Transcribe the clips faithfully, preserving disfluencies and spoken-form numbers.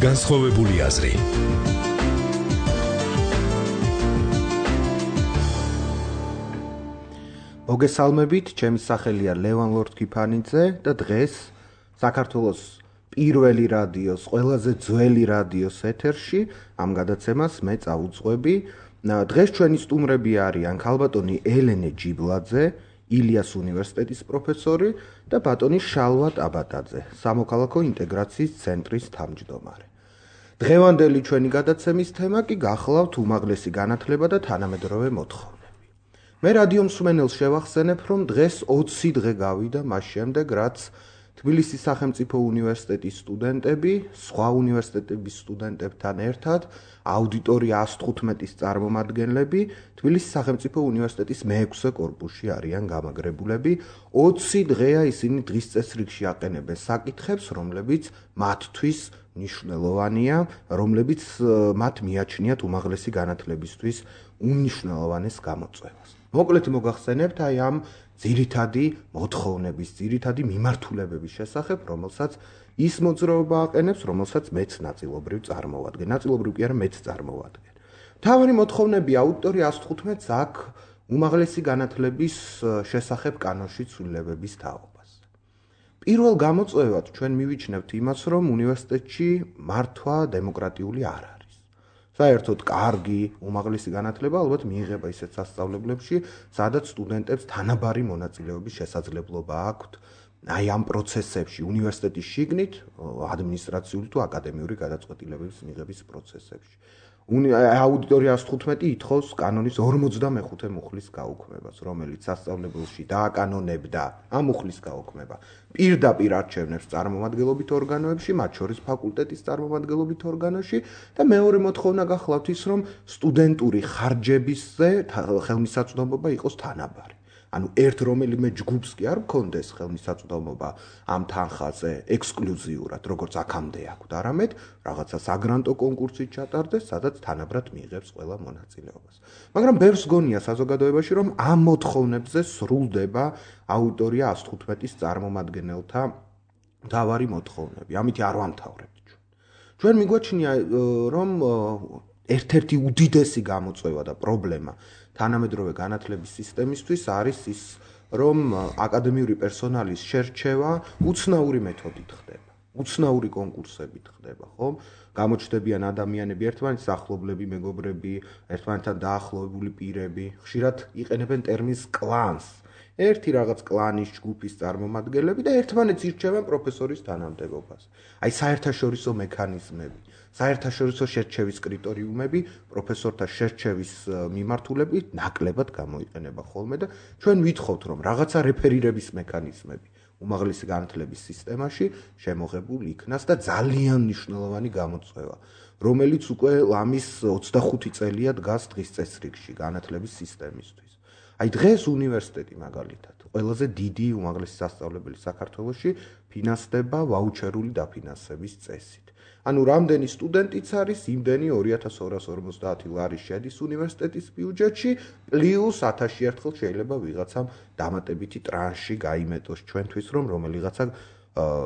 განსხვავებული აზრი. მოგესალმებით, ჩემი სახელია ლევან ლორთქიფანიძე და დღეს საქართველოს პირველი რადიოს, ყველაზე ძველი რადიოს ეთერში ამ გადაცემას მე წავუძღვები. დღეს ჩვენი სტუმრები არიან ქალბატონი ელენე ჯიბლაძე, ილიას უნივერსიტეტის პროფესორი და ბატონი შალვა ტაბატაძე, სამოქალაქო ინტეგრაციის ცენტრის თავმჯდომარე. დღევანდელი ჩვენი გადაცემის თემა კი გახლავთ უმაღლესი განათლება და თანამედროვე მოთხოვნები. მე რადიო მსმენელს შევახსენებ, რომ დღეს ოცი დღე გავიდა მას შემდეგ, რაც თბილისის სახელმწიფო უნივერსიტეტის სტუდენტები, სხვა უნივერსიტეტების სტუდენტებთან ერთად, აუდიტორია ას თხუთმეტის წარმომადგენლები, თბილისის სახელმწიფო უნივერსიტეტის მეექვსე კორპუსში არიან გამაგრებულები. ოცი დღეა ისინი დღის წესრიგში აყენებენ საკითხებს, რომლებიც მათთვის მნიშვნელოვანია, რომლებიც მათ მიაჩნიათ უმაღლესი განათლებისთვის უმნიშვნელოვანეს გამოწვევას. მოკლედ მოგახსენებთ აი ამ ძირითადი მოთხოვნების, ძირითადი მიმართულებების შესახებ, რომელსაც ის მოძრაობა აყენებს, რომელსაც მეც ნაწილობრივ წარმოვადგენ. ნაწილობრივ კი არა, მეც წარმოვადგენ. მთავარი მოთხოვნები აუდიტორია ას თხუთმეტს აქვს უმაღლესი განათლების შესახებ კანონში ცვლილებების თაობას. პირველ გამოწვევად ჩვენ მივიჩნევთ იმას, რომ უნივერსიტეტში მართვა დემოკრატიული არ არის. საერთოდ კარგი უმაღლესი განათლება ალბათ მიიღება ისეთ სასწავლებლებში, სადაც სტუდენტებს თანაბარი მონაწილეობის შესაძლებლობა აქვთ აი ამ პროცესებში, უნივერსიტეტის შიგნით, ადმინისტრაციული თუ აკადემიური გადაწყვეტილებების მიღების პროცესებში. აუდიტორია ას თხუთმეტი ითხოვს კანონის ორმოცდამეხუთე მუხლის გაუქმებას, რომელიც სასწავლებელში დააკანონებდა ამ მუხლის გაუქმება. პირდაპირ არჩევნებს წარმომადგენლობით ორგანოებში, მათ შორის ფაკულტეტის წარმომადგენლობით ორგანოში და მეორე მოთხოვნა გახლავთ ის, რომ სტუდენტური ხარჯებისზე ხელმისაწვდომობა იყოს თანაბარი. ანუ ერთ რომელიმე ჯგუფს კი არ გქონდეს ხელმისაწვდომობა ამ თანხაზე ექსკლუზიურად, როგორც აქამდე აქვთ, არამედ რაღაცა საგრანტო კონკურსით ჩატარდეს, სადაც თანაბრად მიიღებს ყველა მონაწილეობას. მაგრამ ბევრს გონია საზოგადოებაში, რომ ამ მოთხოვნებზე სრულდება აუდიტორია ას თხუთმეტის წარმომადგენელთა მთავარი მოთხოვნები. ამით არ ვამთავრებთ ჩვენ. ჩვენ მიგვაჩნია, რომ ერთ-ერთი უდიდესი გამოწვევა და პრობლემა თანამედროვე განათლების სისტემისთვის არის ის, რომ აკადემიური პერსონალის შერჩევა უცნაური მეთოდით ხდება. უცნაური კონკურსებით ხდება, ხო? გამოჩნდებიან ადამიანები, ერთმანეთის ახლობლები, მეგობრები, ერთმანეთთან დაახლოებული პირები, ხშირად იყენებენ ტერმინს კლანს. ერთი რაღაც კლანის ჯგუფის წარმომადგენლები და ერთმანეთს ირჩევენ პროფესორის თანამდებობას. აი საერთაშორისო მექანიზმები, საერთაშორისო შერჩევის კრიტერიუმები პროფესორთა შერჩევის მიმართულებით ნაკლებად გამოიყენება ხოლმე და ჩვენ ვითხოვთ, რომ რაღაცა რეფერირების მექანიზმები უმაღლესი განათლების სისტემაში შემოღებულ იქნას და ძალიან მნიშვნელოვანი გამოწვევა, რომელიც უკვე ლამის ოცდახუთი წელია დგას დღის წესრიგში განათლების სისტემისთვის. აი დღეს უნივერსიტეტი მაგალითად ყველაზე დიდი უმაღლესი სასწავლებელი საქართველოში ფინანსდება ვაუჩერული დაფინანსების წესით. ანუ რამდენი სტუდენტიც არის, იმდენი ორი ათას ორას ორმოცდაათი ლარი შედის უნივერსიტეტის ბიუჯეტში, პლუს ათასში ერთხელ შეიძლება ვიღაცამ დამატებითი ტრანში გაიმეტოს ჩვენთვის, რომ რომელიღაცა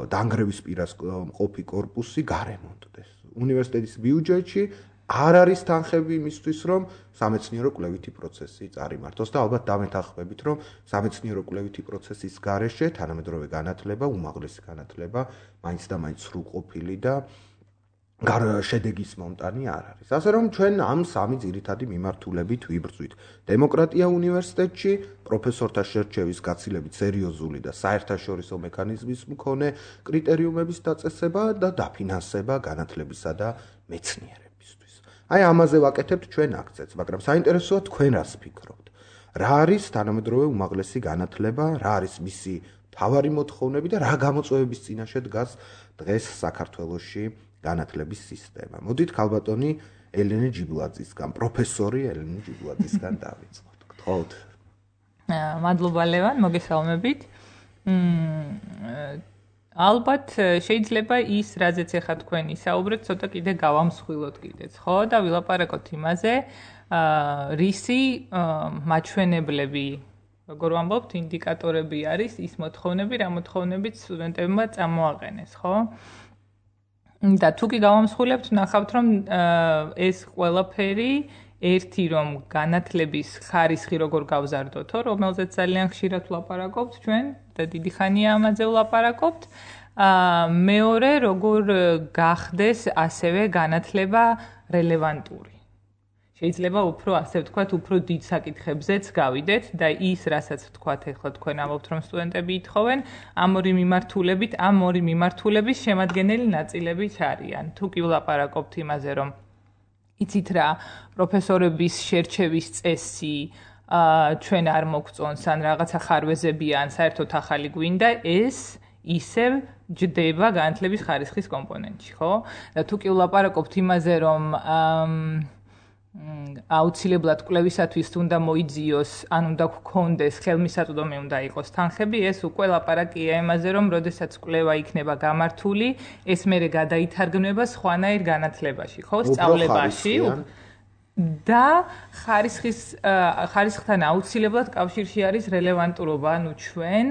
დანგრევის პირას მყოფი კორპუსი გარემონტდეს. უნივერსიტეტის ბიუჯეტში არ არის თანხები იმისთვის, რომ სამეცნიერო კვლევითი პროცესი წარიმართოს და ალბათ დამეთანხმებით, რომ სამეცნიერო კვლევითი პროცესის გარეშე თანამედროვე განათლება, უმაღლესი განათლება მაინც და მაინც სრულყოფილი და შედეგის მომტანი არ არის. ასე რომ ჩვენ ამ სამი ძირითადი მიმართულებით ვიბრძვით. დემოკრატია უნივერსიტეტში, პროფესორთა შერჩევის გაცილებით სერიოზული და საერთაშორისო მექანიზმის მქონე კრიტერიუმების დაწესება და დაფინანსება განათლებისა და მეცნიერებისთვის. აი ამაზე ვაკეთებთ ჩვენ აქცენტს, მაგრამ საინტერესოა თქვენ რას ფიქრობთ. რა არის თანამედროვე უმაღლესი განათლება, რა არის მისი მთავარი მოთხოვნები და რა გამოწვევების წინაშე დგას დღეს საქართველოში განათლების სისტემა. მოდით ქალბატონი ელენე ჯიბლაძისგან, პროფესორი ელენე ჯიბლაძისგან დავიწყოთ. გთხოვთ. მადლობა ლევან, მოგესალმებით. ალბათ შეიძლება ის, რაზეც ახლა თქვენი საუბრეთ, ცოტა კიდე გავამსხვილოთ კიდეც, ხო? და ვილაპარაკოთ იმაზე, რისი მაჩვენებლები, როგორ ვამბობთ, ინდიკატორები არის ის მოთხოვნები, რა მოთხოვნებით სტუდენტებმა წამოაყენეს, ხო? და თუ კი გავამსხვილებთ, ნახავთ, რომ ეს ყველაფერი ერთი რომ განათლების ხარისხი როგორ გავზარდოთო, რომელზეც ძალიან ხშირად ვლაპარაკობთ ჩვენ და დიდი ხანია ამაზე ვლაპარაკობთ. მეორე როგორ გახდეს ასევე განათლება რელევანტური. შეიძლება უფრო ასე ვთქვათ, უფრო დიდ საკითხებზეც გავიდეთ და ის, რასაც ვთქვათ, ეხლა თქვენ ამბობთ, რომ სტუდენტები ითხოვენ, ამ ორი მიმართულებით, ამ ორი მიმართულების შემადგენელი ნაწილებიც არიან. თუ კი ვლაპარაკობთ იმაზე, რომ იცით რა, პროფესორების შერჩევის წესი ჩვენ არ მოგწონს, ან რაღაცა ხარვეზები ან საერთოდ ახალი გვინდა, ეს ისევ ჯდება განათლების ხარისხის კომპონენტში, ხო? და თუ კი ვლაპარაკობთ იმაზე, რომ აუცილებლად კვლევისათვის უნდა მოიძიოს, ან უნდა გქონდეს ხელმისაწვდომი უნდა იყოს თანხები, ეს უკვე ლაპარაკია იმაზე, რომ როდესაც კვლევა იქნება გამართული, ეს მერე გადაითარგმნება სხვანაირ განათლებაში, ხო, სწავლებაში და ხარისხის ხარისხთან აუცილებლად კავშირში არის რელევანტურობა, ანუ ჩვენ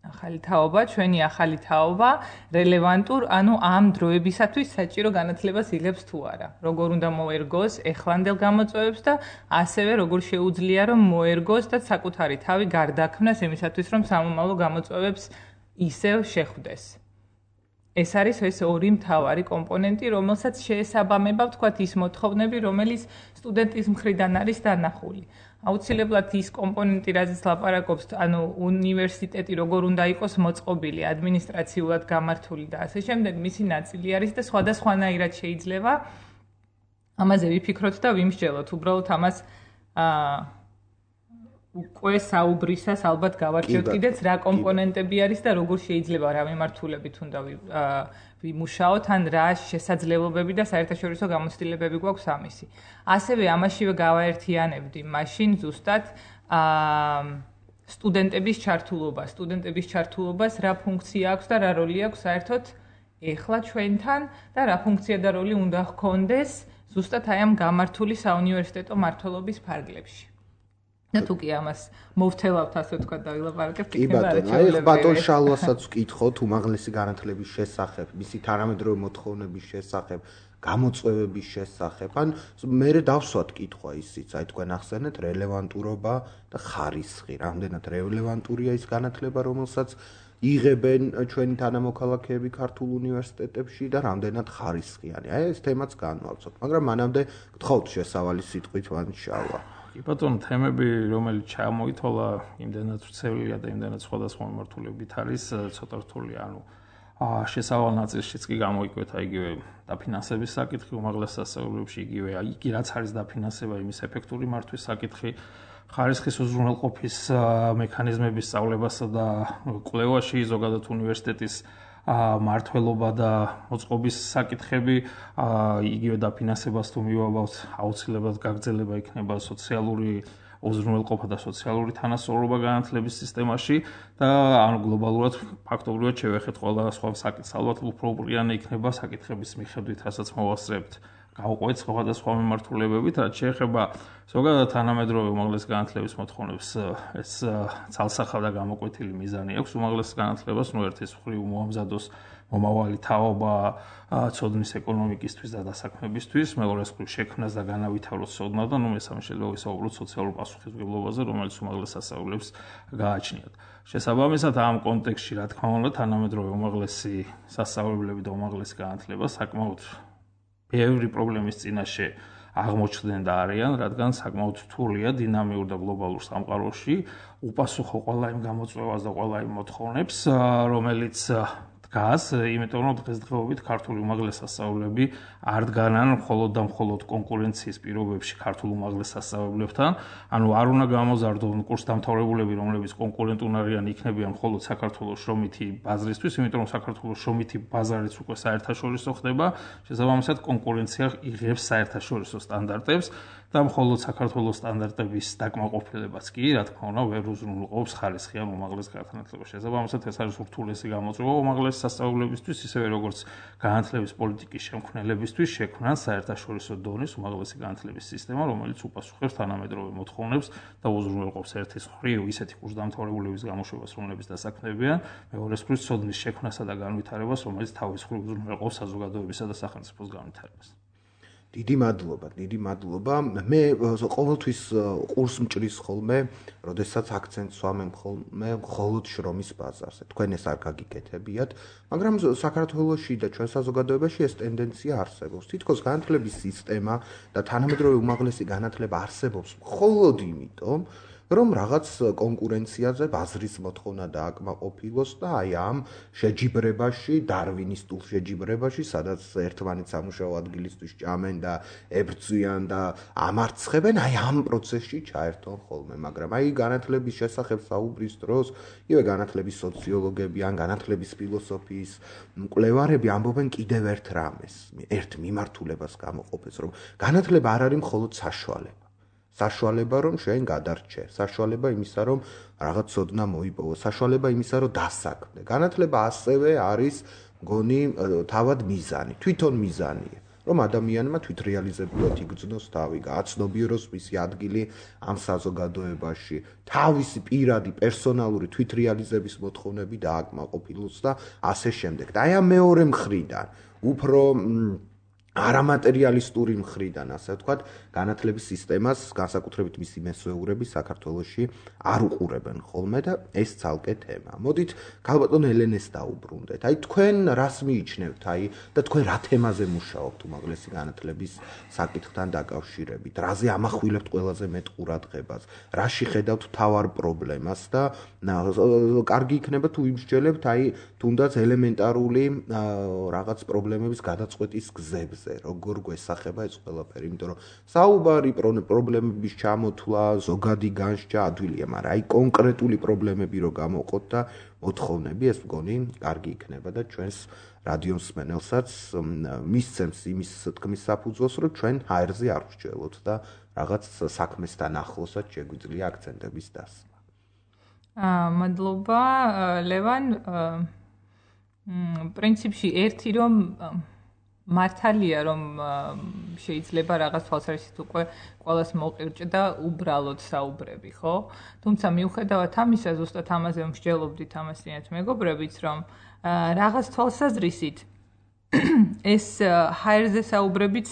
ახალი თაობა, ჩვენი ახალი თაობა, რელევანტურ, ანუ ამ დროებისათვის საჭირო განათლებას იღებს თუ არა. როგორ უნდა მოერგოს ეხლანდელ გამოწვევებს და ასევე როგორ შეუძლია რომ მოერგოს და საკუთარი თავი გარდაქმნას იმისათვის, რომ სამომავლო გამოწვევებს ისევ შეხვდეს. ეს არის ეს ორი მთავარი კომპონენტი, რომელსაც შეესაბამება, ვთქვათ, ის მოთხოვნები, რომელიც სტუდენტის მხრიდან არის დანახული. აუცილებლად ის კომპონენტი, რაზეც ლაპარაკობს, ანუ უნივერსიტეტი როგორ უნდა იყოს მოწყობილი, ადმინისტრაციულად გამართული და ასე შემდეგ, მისი ნაწილი არის და სხვადასხვანაირად შეიძლება ამაზე ვიფიქროთ და ვიმსჯელოთ. უბრალოდ ამას აა უკვე საუბრისას ალბათ გავარჩევთ კიდეც რა კომპონენტები არის და როგორ შეიძლება რა მიმართულებით უნდა ვიმუშაოთ, ან რა შესაძლებლობები და საერთაშორისო გამოცდილებები გვაქვს ამისი. ასევე ამაშივე გავაერთიანებდი მაშინ ზუსტად სტუდენტების ჩართულობა, სტუდენტების ჩართულობას რა ფუნქცია აქვს და რა როლი აქვს საერთოდ ეხლა ჩვენთან და რა ფუნქცია და როლი უნდა ჰქონდეს ზუსტად აი ამ გამართული საუნივერსიტეტო მმართველობის ფარგლებში. და თუ კი ამას მოვთელავთ, ასე ვთქვათ, და ვილაპარაკებთ, იქნება არაჩვეულებრივი. აი, ბატონ შალვასაც ვკითხოთ უმაღლესი განათლების შესახებ, მისი თანამედროვე მოთხოვნების შესახებ, გამოწვევების შესახებ. ან მე დავსვათ კითხვა ისიც, აი თქვენ ახსენეთ რელევანტურობა და ხარისხი. რამდენად რელევანტურია ის განათლება, რომელსაც იღებენ ჩვენი თანამოქალაქეები ქართულ უნივერსიტეტებში და რამდენად ხარისხიანი. აი ეს თემაც განვავსოთ, მაგრამ მანამდე გთხოვთ შესავალი სიტყვით ვან შალვა. კი ბატონო, თემები, რომელიც ჩამოითვალა, იმდენად ვრცელია და იმდენად სხვადასხვა მიმართულებით არის, ცოტა რთული, ანუ შესავალ ნაწილშიც კი გამოიკვეთა იგივე დაფინანსების საკითხი უმაღლეს სასწავლებლებში, იგივე იგი რაც არის დაფინანსება, იმის ეფექტური მართვის საკითხი, ხარისხის უზრუნველყოფის მექანიზმების სწავლებასა და კვლევაში, ზოგადად უნივერსიტეტის მართლობა და მოწყობის საკითხები, იგივე დაფინანსებას თუ მივაბავთ, აუცილებლად გაგრძელება იქნება სოციალური უზრუნველყოფა და სოციალური თანასწორობა განათლების სისტემაში და ანუ გლობალურად ფაქტობრივად შევეხეთ ყველა სხვა საკითხს, ალბათ უფრო უპრიანი იქნება საკითხების მიხედვით, რასაც მოვასწრებთ. გავყვეთ სხვადასხვა მიმართულებებით, რაც შეეხება ზოგადად თანამედროვე უმაღლეს განათლების მოთხოვნებს, ეს ცალსახა და გამოკვეთილი მიზანი აქვს უმაღლეს განათლებას, ნუ ერთის მხრივ მოამზადოს მომავალი თაობა ცოდნის ეკონომიკისთვის და დასაქმებისთვის, მეორეს მხრივ შექმნას და განავითაროს ცოდნა და ნუ მესამე შეიძლება ვისაუბროთ სოციალურ პასუხისმგებლობაზე, რომელიც უმაღლეს სასწავლებლებს გააჩნიათ. შესაბამისად, ამ კონტექსტში, რა თქმა უნდა, თანამედროვე უმაღლესი სასწავლებლები და უმაღლესი განათლება საკმაოდ ბევრი პრობლემის წინაშე აღმოჩნდნენ და არიან, რადგან საკმაოდ რთულია დინამიურ და გლობალურ სამყაროში უპასუხო ყველა იმ გამოწვევას და ყველა იმ მოთხოვნებს, რომელიც დგას, იმიტომ რომ დღესდღეობით ქართული უმაღლეს სასწავლებლები არ დგანან მხოლოდ და მხოლოდ კონკურენციის პირობებში ქართულ უმაღლეს სასწავლებლებთან, ანუ არ უნდა გამოზარდონ კურსდამთავრებულები, რომლებიც კონკურენტუნ არიან, იქნებიან მხოლოდ საქართველოს შრომითი ბაზრისთვის, იმიტომ რომ საქართველოს შრომითი ბაზარიც უკვე საერთაშორისო ხდება, შესაბამისად კონკურენცია იღებს საერთაშორისო სტანდარტებს. და მხოლოდ საქართველოს სტანდარტების დაკმაყოფილებაც კი, რა თქმა უნდა, ვერ უზრუნველყოფს ხარისხიან უმაღლეს განათლებას. შესაბამისად, ეს არის ურთულესი გამოწვევა უმაღლეს სასწავლებლებისთვის, ისევე როგორც განათლების პოლიტიკის შემქმნელებისთვის შექმნან საერთაშორისო დონის უმაღლესი განათლების სისტემა, რომელიც უპასუხებს თანამედროვე მოთხოვნებს და უზრუნველყოფს ერთის მხრივ ისეთი კურსდამთავრებულების გამოშვებას, რომლებიც დასაქმდებიან, მეორეს მხრივ ცოდნის შექმნასა და განვითარებას, რომელიც თავის მხრივ უზრუნველყოფს საზოგადოებისა და სახელმწიფოს განვითარებას. დიდი მადლობა, დიდი მადლობა. მე ყოველთვის ყურს მჭრის ხოლმე, როდესაც აქცენტს ვამემ ხოლმე მხოლოდ შრომის ბაზარზე. თქვენ ეს არ გაგიკეთებიათ, მაგრამ საქართველოში და ჩვენ საზოგადოებაში ეს ტენდენცია არსებობს. თითქოს განათლების სისტემა და თანამედროვე უმაღლესი განათლება არსებობს მხოლოდ იმიტომ, რომ რაღაც კონკურენციაზე ბაზრის მოთხოვნა დააკმაყოფილოს და აი ამ შეჯიბრებაში, დარვინისტულ შეჯიბრებაში, სადაც ერთმანეთს სამუშაო ადგილისთვის ჭამენ და ებრძვიან და ამარცხებენ, აი ამ პროცესში ჩაერთონ ხოლმე, მაგრამ აი განათლების შესახებ საუბრის დროს, იგივე განათლების სოციოლოგები ან განათლების ფილოსოფიის მკვლევარები ამბობენ კიდევ ერთ რამეს, ერთ მიმართულებას გამოყოფეს, რომ განათლება არ არის მხოლოდ საშუალება. საშუალება რომ შენ გადარჩე, საშუალება იმისა რომ რაღაც ცოდნა მოიპოვო, საშუალება იმისა რომ დასაქმდე. განათლება ასევე არის მგონი თავად მიზანი, თვითონ მიზანია, რომ ადამიანმა თვითრეალიზებულად იგრძნოს თავი, გააცნობიეროს მისი ადგილი ამ საზოგადოებაში, თავისი პირადი პერსონალური თვითრეალიზების მოთხოვნები დააკმაყოფილოს და ასე შემდეგ. და აი ამ მეორე მხრიდან, უფრო არამატერიალისტური მხრიდან, ასე ვთქვათ, განათლების სისტემას, განსაკუთრებით მისი მესვეურები საქართველოში არ უყურებენ ხოლმე და ეს ცალკე თემა. მოდით ქალბატონ ელენეს დაუბრუნდეთ. აი თქვენ რას მიიჩნევთ, აი და თქვენ რა თემაზე მუშაობთ უმაღლესი განათლების საკითხთან დაკავშირებით? რაზე ამახვილებთ ყველაზე მეტ ყურადღებას? რაში ხედავთ მთავარ პრობლემას და კარგი იქნება თუ იმსჯელებთ, აი თუნდაც ელემენტარული რაღაც პრობლემების გადაწყვეტის გზებზე. როგორ გვესახება ეს ყველაფერი, იმიტომ რომ საუბარი პრობლემების ჩამოთვლა, ზოგადი განსჯა ადვილია, მაგრამ აი კონკრეტული პრობლემები რო გამოყოთ და მოთხოვნები, ეს მგონი კარგი იქნება და ჩვენს რადიოს მსმენელსაც მისცემს იმის თქმის საფუძველს, რომ ჩვენ ჰაერზე არ ვსჯელოთ და რაღაც საქმესთან ახლოსაც შეგვიძლია აქცენტების დასმა. აა მადლობა ლევან. პრინციპში ერთი რომ მართალია რომ შეიძლება რაღაც თვალსაზრისით უკვე ყველას მოყირჭდა უბრალოდ საუბრები, ხო? თუმცა მიუხედავად ამისა, ზუსტად ამაზე მსჯელობდით ამასთანაც მეგობრებიც, რომ რაღაც თვალსაზრისით ეს ჰაერზე საუბრებიც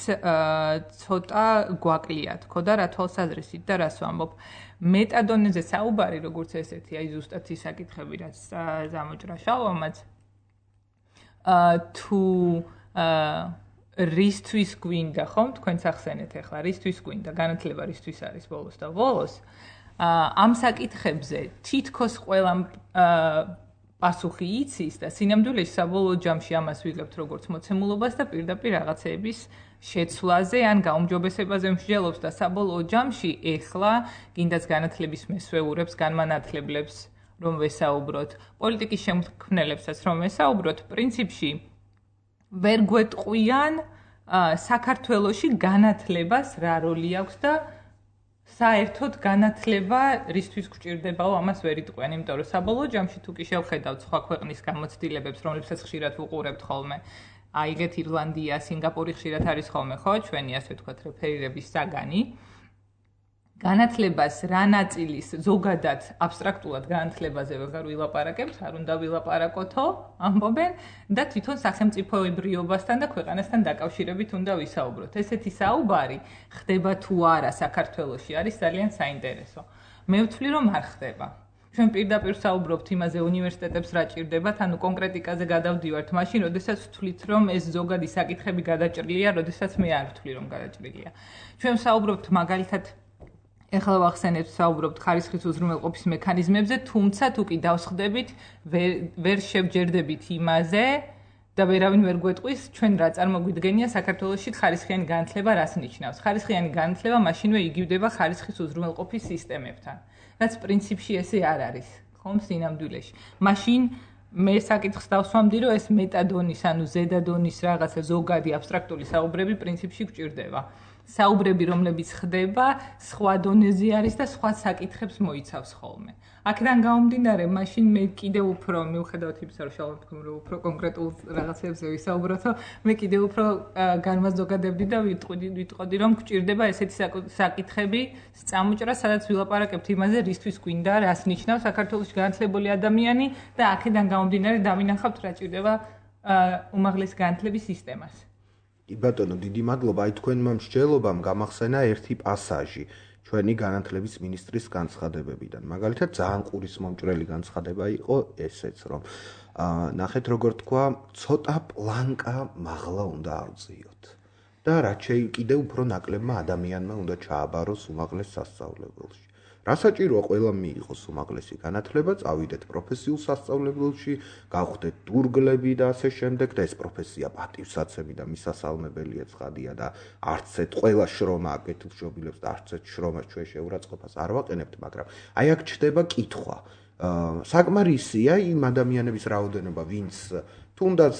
ცოტა გვაკლიათ, ხო და რა თვალსაზრისით და რას ვამბობ? მეტადონეზე საუბარი, როგორც ესეთი, აი ზუსტად ის საკითხები, რაც ზამოჭრა შალვამაც თუ რისთვის გვინდა, ხომ? თქვენ სახსენეთ ახლა, რისთვის გვინდა, განათლება რისთვის არის ბოლოს და ბოლოს. ამ საკითხებზე თითქოს ყველა პასუხი იცის და სინამდვილეში საბოლოო ჯამში ამას ვიღებთ როგორც მოცემულობას და პირდაპირ რაღაცეების შეცვლაზე ან გაუმჯობესებაზე მსჯელობს და საბოლოო ჯამში ეხლა კიდაც განათლების მესვეურებს, განმანათლებლებს რომ ვესაუბროთ, პოლიტიკის შემქმნელებსაც რომ ვესაუბროთ, პრინციპში ვერ გვეტყვიან საქართველოში განათლებას რა როლი აქვს და საერთოდ განათლება რისთვის გვჭირდებაო, ამას ვერ იტყვიან, იმიტომ რომ საბოლოო ჯამში თუ კი შევხედავთ სხვა ქვეყნის გამოცდილებებს, რომლებსაც ხშირად ვუყურებთ ხოლმე, აიგეთ ირლანდია, სინგაპური ხშირად არის ხოლმე, ხო, ჩვენი ასე ვთქვათ რეფერირების საგანი. განათლებას რა ნაწილის ზოგადად აბსტრაქტულად განათლებაზე ვეღარ ვილაპარაკებთ, არ უნდა ვილაპარაკოთო, ამბობენ და თვითონ სახელმწიფოებრიობასთან და ქვეყანასთან დაკავშირებით უნდა ვისაუბროთ. ესეთი საუბარი ხდება თუ არა საქართველოში არის ძალიან საინტერესო. მე ვთვლი რომ არ ხდება. ჩვენ პირდაპირ საუბრობთ იმაზე უნივერსიტეტებს რა ჭირდებათ, ანუ კონკრეტიკაზე გადავდივართ მაშინ, როდესაც ვთვლით რომ ეს ზოგადი საკითხები გადაჭრილია, როდესაც მე არ ვთვლი რომ გადაჭრილია. ჩვენ საუბრობთ მაგალითად ეხლა ვახსენებთ საუბრობთ ხარისხის უზრუნველყოფის მექანიზმებზე, თუმცა თუ კი დავსხდებით, ვერ შევჯერდებით იმაზე და ვერავინ ვერ გვეტყვის, ჩვენ რა წარმოგვიდგენია საქართველოში ხარისხიანი განათლება რას ნიშნავს. ხარისხიანი განათლება მაშინვე იგივდება ხარისხის უზრუნველყოფის სისტემებთან, რაც პრინციპში ესე არ არის, ხომ სინამდვილეში. მაშინ მე საკითხს დავსვამდი, რომ ეს მეტადონის, ანუ ზედადონის რაღაცა ზოგადი აბსტრაქტული საუბრები პრინციპში გვჭირდება. საუბრები, რომლებიც ხდება, სხვა დონეზე არის და სხვა საკითხებს მოიცავს ხოლმე. აქედან გამომდინარე, მაშინ მე კიდევ უფრო მიუხედავად იმისა, რომ შალვა თქვენ რომ უფრო კონკრეტულ რაღაცებზე ვისაუბროთ, მე კიდევ უფრო განმაზოგადებდი და ვიტყვი ვიტყოდი, რომ გვჭირდება ესეთი საკითხები წამოჭრა, სადაც ვილაპარაკებთ იმაზე, რისთვის გვინდა, რას ნიშნავს საქართველოში განათლებული ადამიანი და აქედან გამომდინარე დავინახავთ რა ჭირდება უმაღლესი განათლების სისტემას. კი ბატონო, დიდი მადლობა. აი თქვენმა მსჯელობამ გამახსენა ერთი პასაჟი ჩვენი განათლების მინისტრის განცხადებებიდან. მაგალითად, ძალიან ყურისმომჭრელი განცხადება იყო ესეც, რომ ნახეთ როგორ თქვა, ცოტა პლანკა მაღლა უნდა ავწიოთ. და რაც შეიძლება კიდევ უფრო ნაკლებმა ადამიანმა უნდა ჩააბაროს უმაღლეს სასწავლებელში. რა საჭიროა ყველა მიიღოს უმაღლესი განათლება, წავიდეთ პროფესიულ სასწავლებელში, გავხდეთ დურგლები და ასე შემდეგ და ეს პროფესია პატივსაცემი და მისასალმებელია ცხადია და არც ერთ ყველა შრომა კეთილშობილებს და არც ერთ შრომას ჩვენ შეურაცხყოფას არ ვაყენებთ, მაგრამ აი აქ ჩდება კითხვა. საკმარისია იმ ადამიანების რაოდენობა, ვინც თუნდაც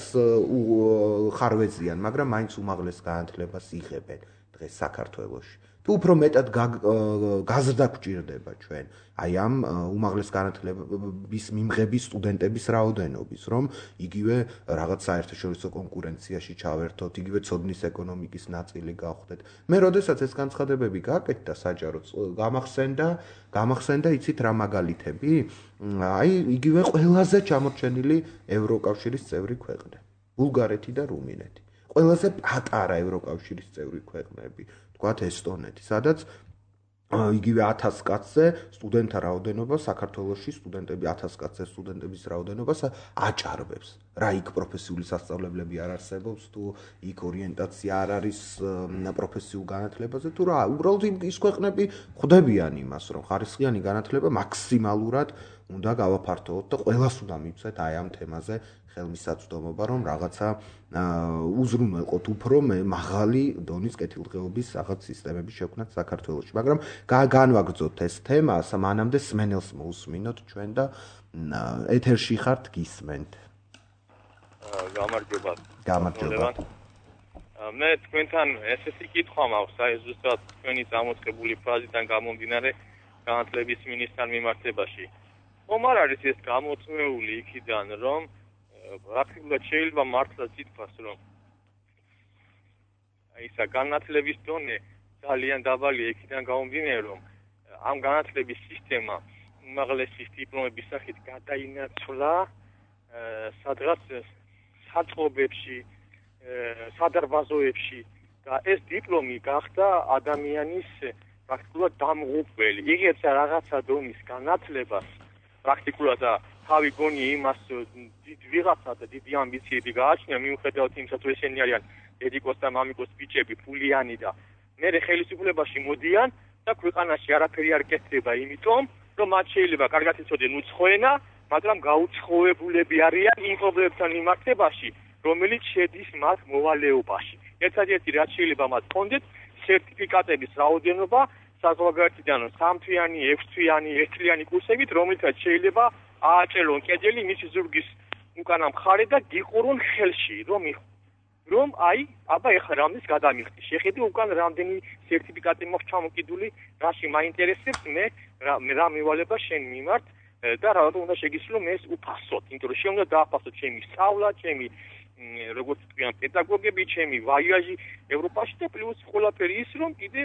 ხარვეზიან, მაგრამ მაინც უმაღლეს განათლებას იღებენ დღეს საქართველოში. თუ უფრო მეტად გაზრდა გვჭირდება ჩვენ აი ამ უმაღლეს განათლების მიმღების სტუდენტების რაოდენობის, რომ იგივე რაღაც საერთაშორისო კონკურენციაში ჩავერთოთ, იგივე ცოდნის ეკონომიკის ნაწილი გავხდეთ. მე როდესაც ეს განცხადებები გააკეთდა საჯაროდ, გამახსენდა, გამახსენდა იცით რა მაგალითები? აი იგივე ყველაზე ჩამორჩენილი ევროკავშირის წევრი ქვეყნები, ბულგარეთი და რუმინეთი. ყველაზე პატარა ევროკავშირის წევრი ქვეყნები. თქვათ ესტონეთი, სადაც იგივე ათას კაცზე სტუდენტთა რაოდენობა საქართველოში სტუდენტები ათას კაცზე სტუდენტების რაოდენობას აჭარბებს. რა იქ პროფესიული სასწავლებლები არ არსებობს, თუ იქ ორიენტაცია არ არის პროფესიულ განათლებაზე, თუ რა, უბრალოდ ის ქვეყნები ხვდებიან იმას, რომ ხარისხიანი განათლება მაქსიმალურად უნდა გავაფართოვოთ და ყველას უნდა მივცეთ აი ამ თემაზე ხელმისაწვდომობა, რომ რაღაცა უზრუნველყოთ უფრო მაღალი დონის კეთილდღეობის რაღაც სისტემების შექმნათ საქართველოში. მაგრამ განვაგრძოთ ეს თემა, მანამდე სმენელს მოусმინოთ ჩვენ და ეთერში ხართ გისმენთ. გამარჯობა. გამარჯობა. მე თქვენთან ესეთი კითხვა მაქვს, აი ზუსტად თქვენი წამოწყებული ფრაზიდან გამომდინარე განათლების მინისტრთან მიმართებაში. ხომ არ არის ეს გამოწვეული იქიდან, რომ პრაქტიკულად შეიძლება მართლაც ითქვას, რომ ისა განათლების დონე ძალიან დაბალია იქიდან გამომდინარე, რომ ამ განათლების სისტემა უმაღლესი დიპლომების სახით გადაინაცვლა სადღაც საწყობებში, სადარბაზოებში და ეს დიპლომი გახდა ადამიანის პრაქტიკულად დამღუპველი. იღებს რაღაცა დონის განათლებას პრაქტიკულად და თავი გონი იმას დიდ ვიღაცა და დიდი ამბიციები გააჩნია, მიუხედავად იმისა, თუ ესენი არიან დედიკოს და მამიკოს ბიჭები, ფულიანი და მერე ხელისუფლებაში მოდიან და ქვეყანაში არაფერი არ კეთდება, იმიტომ რომ მათ შეიძლება კარგად იცოდნენ უცხოენა, მაგრამ გაუცხოებულები არიან იმ პრობლემებთან მიმართებაში, რომელიც შედის მათ მოვალეობაში. ერთადერთი რაც შეიძლება მათ ჰქონდეთ, სერტიფიკატების რაოდენობა საზღვარგარეთიდან სამთვიანი, ექვსთვიანი, ერთთვიანი კურსებით, რომელთაც შეიძლება ააჭერონ კედელი მისი ზურგის უკანა მხარე და გიყურონ ხელში, რომ რომ აი, აბა ეხლა რამდენს გადამიხდი. შეხედე უკან რამდენი სერტიფიკატი მაქვს ჩამოკიდული, რაში მაინტერესებს მე, რა მევალება შენ მიმართ და რა უნდა შეგისრულო მე ეს უფასოდ, იმიტომ რომ შენ უნდა დააფასო ჩემი სწავლა, ჩემი როგორც თქვენ პედაგოგები, ჩემი ვაიაჟი ევროპაში და პლუს ყველაფერი ის რომ კიდე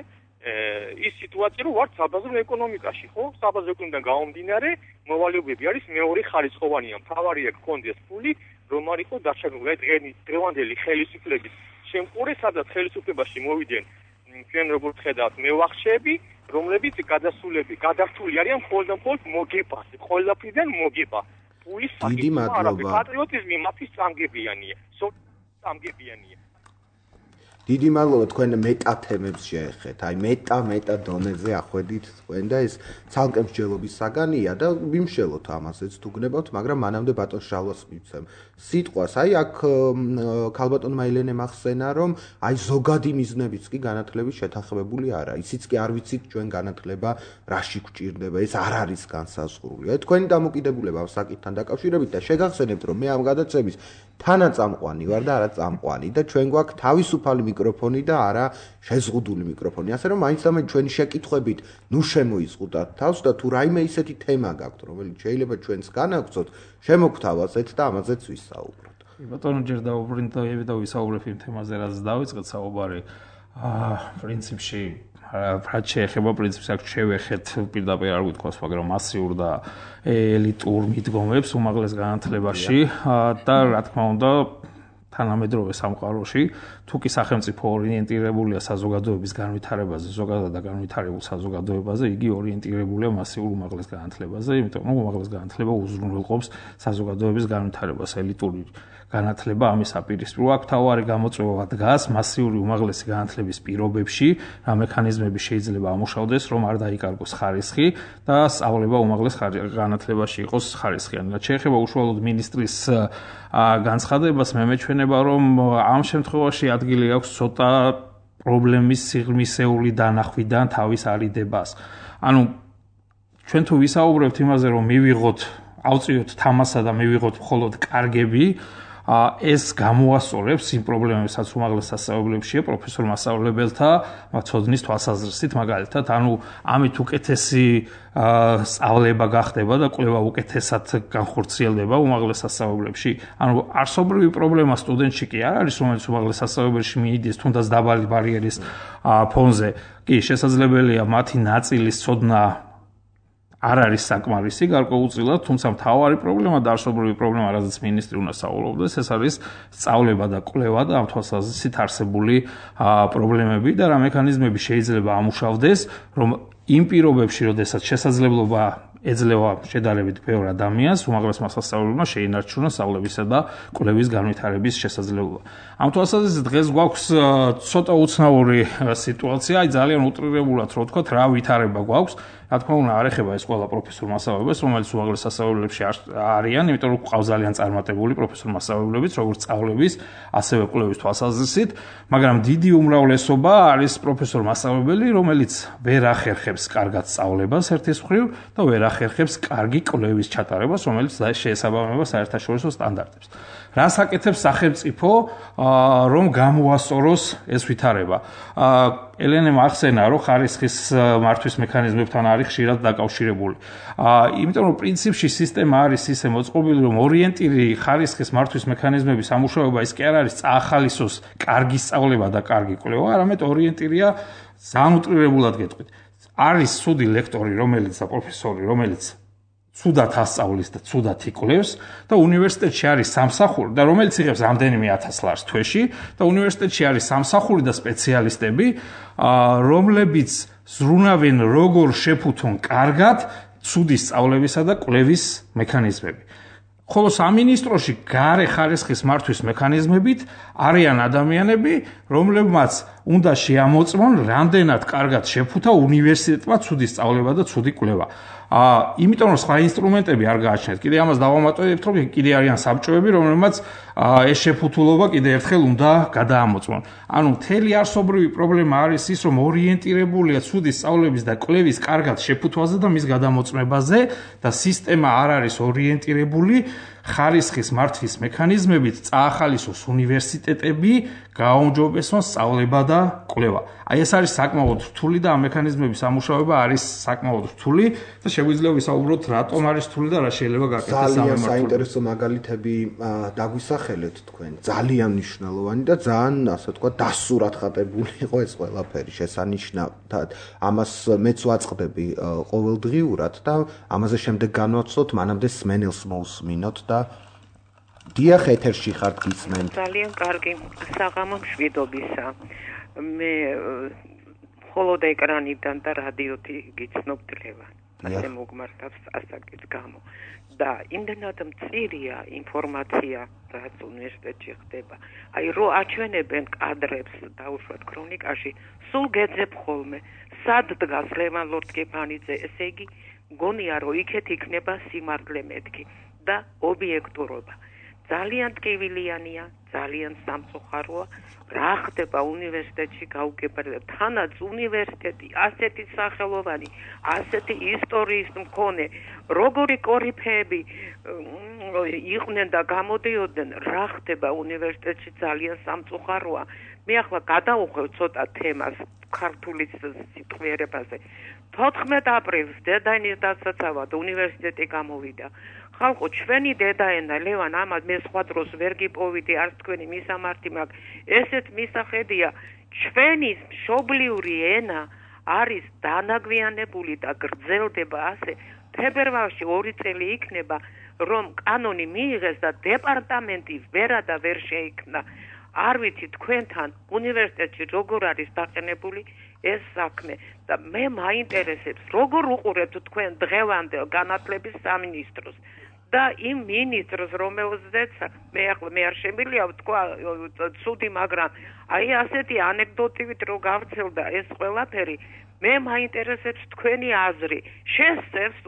ის სიტუაცია რომ ვარ საბაზრო ეკონომიკაში, ხო? საბაზრო ეკონომიკიდან გამომდინარე, მოვალეობები არის მეორე ხარისხოვანია. მთავარია გქონდეს ფული, რომ არ იყო დაშაგრული დღევანდელი ხელისუფლების შემყურე, სადაც ხელისუფლებაში მოვიდნენ ჩვენ როგორც ხედავთ მევახშეები, რომლებიც გადასულები, გადართული არიან მხოლოდ და მხოლოდ მოგებაზე, ყველაფრიდან მოგება. ფულის საკითხი, პატრიოტიზმი მათი სამგებიანია, სამგებიანია. დიდი მადლობა თქვენ მეტა თემებს შეეხეთ. აი მეტა მეტა დონეზე ახვედით თქვენ და ეს ცალკე მსჯელობის საგანია და ვიმშელოთ ამასაც თუ გნებავთ, მაგრამ მანამდე ბატონ შალვას მივცემ სიტყვას. აი აქ ქალბატონმა ელენე მახსენა, რომ აი ზოგადი მიზნებიც კი განათლების შეთანხმებული არა. ისიც კი არ ვიცით ჩვენ განათლება რაში გვჭირდება, ეს არ არის განსაზღვრული. აი თქვენი დამოკიდებულება ამ საკითხთან დაკავშირებით და შეგახსენებთ, რომ მე ამ გადაცემის თანაწამყვანი ვარ და არა წამყვანი და ჩვენ გვაქვს თავისუფალი მიკროფონი და არა შეზღუდული მიკროფონი. ასე რომ მაინც და მაინც ჩვენი შეკითხვებით ნუ შემოიზღუდათ თავს და თუ რაიმე ისეთი თემა გაქვთ, რომელიც შეიძლება ჩვენს განაგრძოთ, შემოგთავაზეთ და ამაზეც ვისაუბროთ. ბატონო, ჯერ დავუბრინდები და ვისაუბრებ იმ თემაზე, რაც დავიწყეთ საუბარი. აა, პრინციპში რაც შეეხება პრინციპს აქ შევეხეთ პირდაპირ არ ვიტყვას, მაგრამ მასიურ და ელიტურ მიდგომებს უმაღლეს განათლებაში და რა თქმა უნდა თანამედროვე სამყაროში, თუ კი სახელმწიფო ორიენტირებულია საზოგადოების განვითარებაზე, ზოგადად და განვითარებულ საზოგადოებაზე, იგი ორიენტირებულია მასიურ უმაღლეს განათლებაზე, იმიტომ რომ უმაღლეს განათლება უზრუნველყოფს საზოგადოების განვითარებას, ელიტური განათლება ამის აპირისპირო აქ თავარი გამოწვევა დგას მასიური უმაღლესი განათლების პირობებში, რა მექანიზმები შეიძლება ამუშავდეს, რომ არ დაიკარგოს ხარისხი და სწავლება უმაღლეს განათლებაში იყოს ხარისხიანი. რაც შეეხება უშუალოდ მინისტრის განცხადებას, მე მეჩვენება, რომ ამ შემთხვევაში ადგილი აქვს ცოტა პრობლემის სიღრმისეული დანახვიდან თავის არიდებას. ანუ ჩვენ თუ ვისაუბრებთ იმაზე, რომ მივიღოთ, ავწიოთ თამასა და მივიღოთ მხოლოდ კარგები, ეს გამოასწორებს იმ პრობლემებსაც უმაღლეს სასწავლებლებშია პროფესორ მასწავლებელთა ცოდნის თვალსაზრისით, მაგალითად, ანუ ამით უკეთესი სწავლება გახდება და კვლევა უკეთესად განხორციელდება უმაღლეს სასწავლებლებში. ანუ არსობრივი პრობლემა სტუდენტში კი არ არის, რომელიც უმაღლეს სასწავლებელში მიიდეს, თუნდაც დაბალი ბარიერის ფონზე. კი, შესაძლებელია მათი ნაწილის ცოდნა არ არის საკმარისი გარკვეულწილად, თუმცა მთავარი პრობლემა და არსობრივი პრობლემა, რაზეც მინისტრი უნდა საუბრობდეს, ეს არის სწავლება და კვლევა და ამ თვალსაზრისით არსებული პრობლემები და რა მექანიზმები შეიძლება ამუშავდეს, რომ იმ პირობებში, როდესაც შესაძლებლობა ეძლევა შედარებით ბევრ ადამიანს, უმაღლესმა სასწავლებლებმა შეინარჩუნონ სწავლებისა და კვლევის განვითარების შესაძლებლობა. ამ თვალსაზრისით დღეს გვაქვს ცოტა უცნაური სიტუაცია, აი ძალიან უტრირებულად რო ვთქვათ, რა ვითარება გვაქვს. რა თქმა უნდა, არ ეხება ეს ყველა პროფესორ მასწავლებელს, რომელიც უმაღლეს სასწავლებლებში არიან, იმიტომ რომ ყავს ძალიან წარმატებული პროფესორ მასწავლებლებიც, როგორც სწავლების, ასევე კვლევის თვალსაზრისით, მაგრამ დიდი უმრავლესობა არის პროფესორ მასწავლებელი, რომელიც ვერ ახერხებს კარგად სწავლებას ერთის მხრივ და ვერ ახერხებს კარგი კვლევის ჩატარებას, რომელიც შეესაბამება საერთაშორისო სტანდარტებს. რას აკეთებს სახელმწიფო, რომ გამოასწოროს ეს ვითარება? ელენემ ახსენა, რომ ხარისხის მართვის მექანიზმებთან არის ხშირად დაკავშირებული. იმიტომ რომ პრინციპში სისტემა არის ისე მოწყობილი, რომ ორიენტირი ხარისხის მართვის მექანიზმების ამუშავება ის კი არ არის წაახალისოს კარგი სწავლება და კარგი კვლევა, არამედ ორიენტირია ძალიან უტრირებულად გეტყვით. არის ცუდი ლექტორი, რომელიც და პროფესორი, რომელიც ცუდად ასწავლის და ცუდად იკვლევს და უნივერსიტეტში არის სამსახური და რომელიც იღებს რამდენიმე ათას ლარს თვეში და უნივერსიტეტში არის სამსახური და სპეციალისტები, რომლებიც ზრუნავენ როგორ შეფუთონ კარგად ცუდი სწავლებისა და კვლევის მექანიზმები. ხოლო სამინისტროში გარე ხარისხის მართვის მექანიზმებით არიან ადამიანები, რომლებმაც უნდა შეამოწმონ რამდენად კარგად შეფუთა უნივერსიტეტმა ცუდი სწავლება და ცუდი კვლევა. აა, იმიტომ რომ სხვა ინსტრუმენტები არ გააჩნიათ. კიდე ამას დავამატებთ, რომ კიდე არიან საბჭოები, რომლებმაც ეს შეფუთულობა კიდე ერთხელ უნდა გადაამოწმონ. ანუ მთელი არსობრივი პრობლემა არის ის, რომ ორიენტირებულია ცუდი სწავლების და კვლევის კარგად შეფუთვაზე და მის გადამოწმებაზე და სისტემა არ არის ორიენტირებული ხარისხის მართვის მექანიზმებით წაახალისოს უნივერსიტეტები გააუმჯობესონ სწავლება და კვლევა. აი ეს არის საკმაოდ რთული და ამ მექანიზმების ამუშავება არის საკმაოდ რთული და შეგვიძლია ვისაუბროთ რატომ არის რთული და რა შეიძლება გაკეთდეს ამ ძალიან საინტერესო მაგალითები დაგვისახელეთ თქვენ. ძალიან მნიშვნელოვანი და ძალიან ასე ვთქვათ დასურათღატებული იყო ეს ყველაფერი შესანიშნავად. ამას მეც ვაწყდები ყოველდღიურად და ამაზე შემდეგ განვაცვლოთ, მანამდე სმენელს მოусმინოთ და დიახ, ეთერში ხართ გისმენთ. ძალიან კარგი. საღამო მშვიდობისა. მე მხოლოდ ეკრანიდან და რადიოთი გიცნობდლება. ასე მოგმართავს ასაკის გამო. და იმდენად მწირია ინფორმაცია, რაც უნივერსიტეტში ხდება. აი, რო აჩვენებენ კადრებს დაუშვათ ქრონიკაში, სულ გეძებ ხოლმე. სად დგას ლევან ლორთქიფანიძე? ესე იგი, გონია რომ იქეთ იქნება სიმართლე მეთქი და ობიექტურობა. ძალიან ტკივილიანია, ძალიან სამწუხაროა, რა ხდება უნივერსიტეტში გაუგებრდა. თანაც უნივერსიტეტი ასეთი სახელოვანი, ასეთი ისტორიის მქონე, როგორი კორიფეები იყვნენ და გამოდიოდნენ, რა ხდება უნივერსიტეტში ძალიან სამწუხაროა მე ახლა გადავუხვევ ცოტა თემას ქართული სიტყვიერებაზე. თოთხმეტ აპრილს დედაენის დასაცავად უნივერსიტეტი გამოვიდა. ხალხო, ჩვენი დედაენა ლევან ამას მე სხვა დროს ვერ გიპოვიდი, არც თქვენი მისამართი მაქვს. ესეთ მისახედია, ჩვენი მშობლიური ენა არის დანაგვიანებული და გრძელდება ასე. თებერვალში ორი წელი იქნება, რომ კანონი მიიღეს და დეპარტამენტი ვერა და ვერ შეიქმნა. არ ვიცი თქვენთან უნივერსიტეტში როგორ არის დაყენებული ეს საქმე და მე მაინტერესებს როგორ უყურებთ თქვენ დღევანდელ განათლების სამინისტროს და იმ მინისტრს რომელზეც მე ახლა მე არ შემიძლია ვთქვა ცუდი, მაგრამ აი ასეთი ანეკდოტივით რო გავრცელდა ეს ყველაფერი, მე მაინტერესებს თქვენი აზრი. შესწევს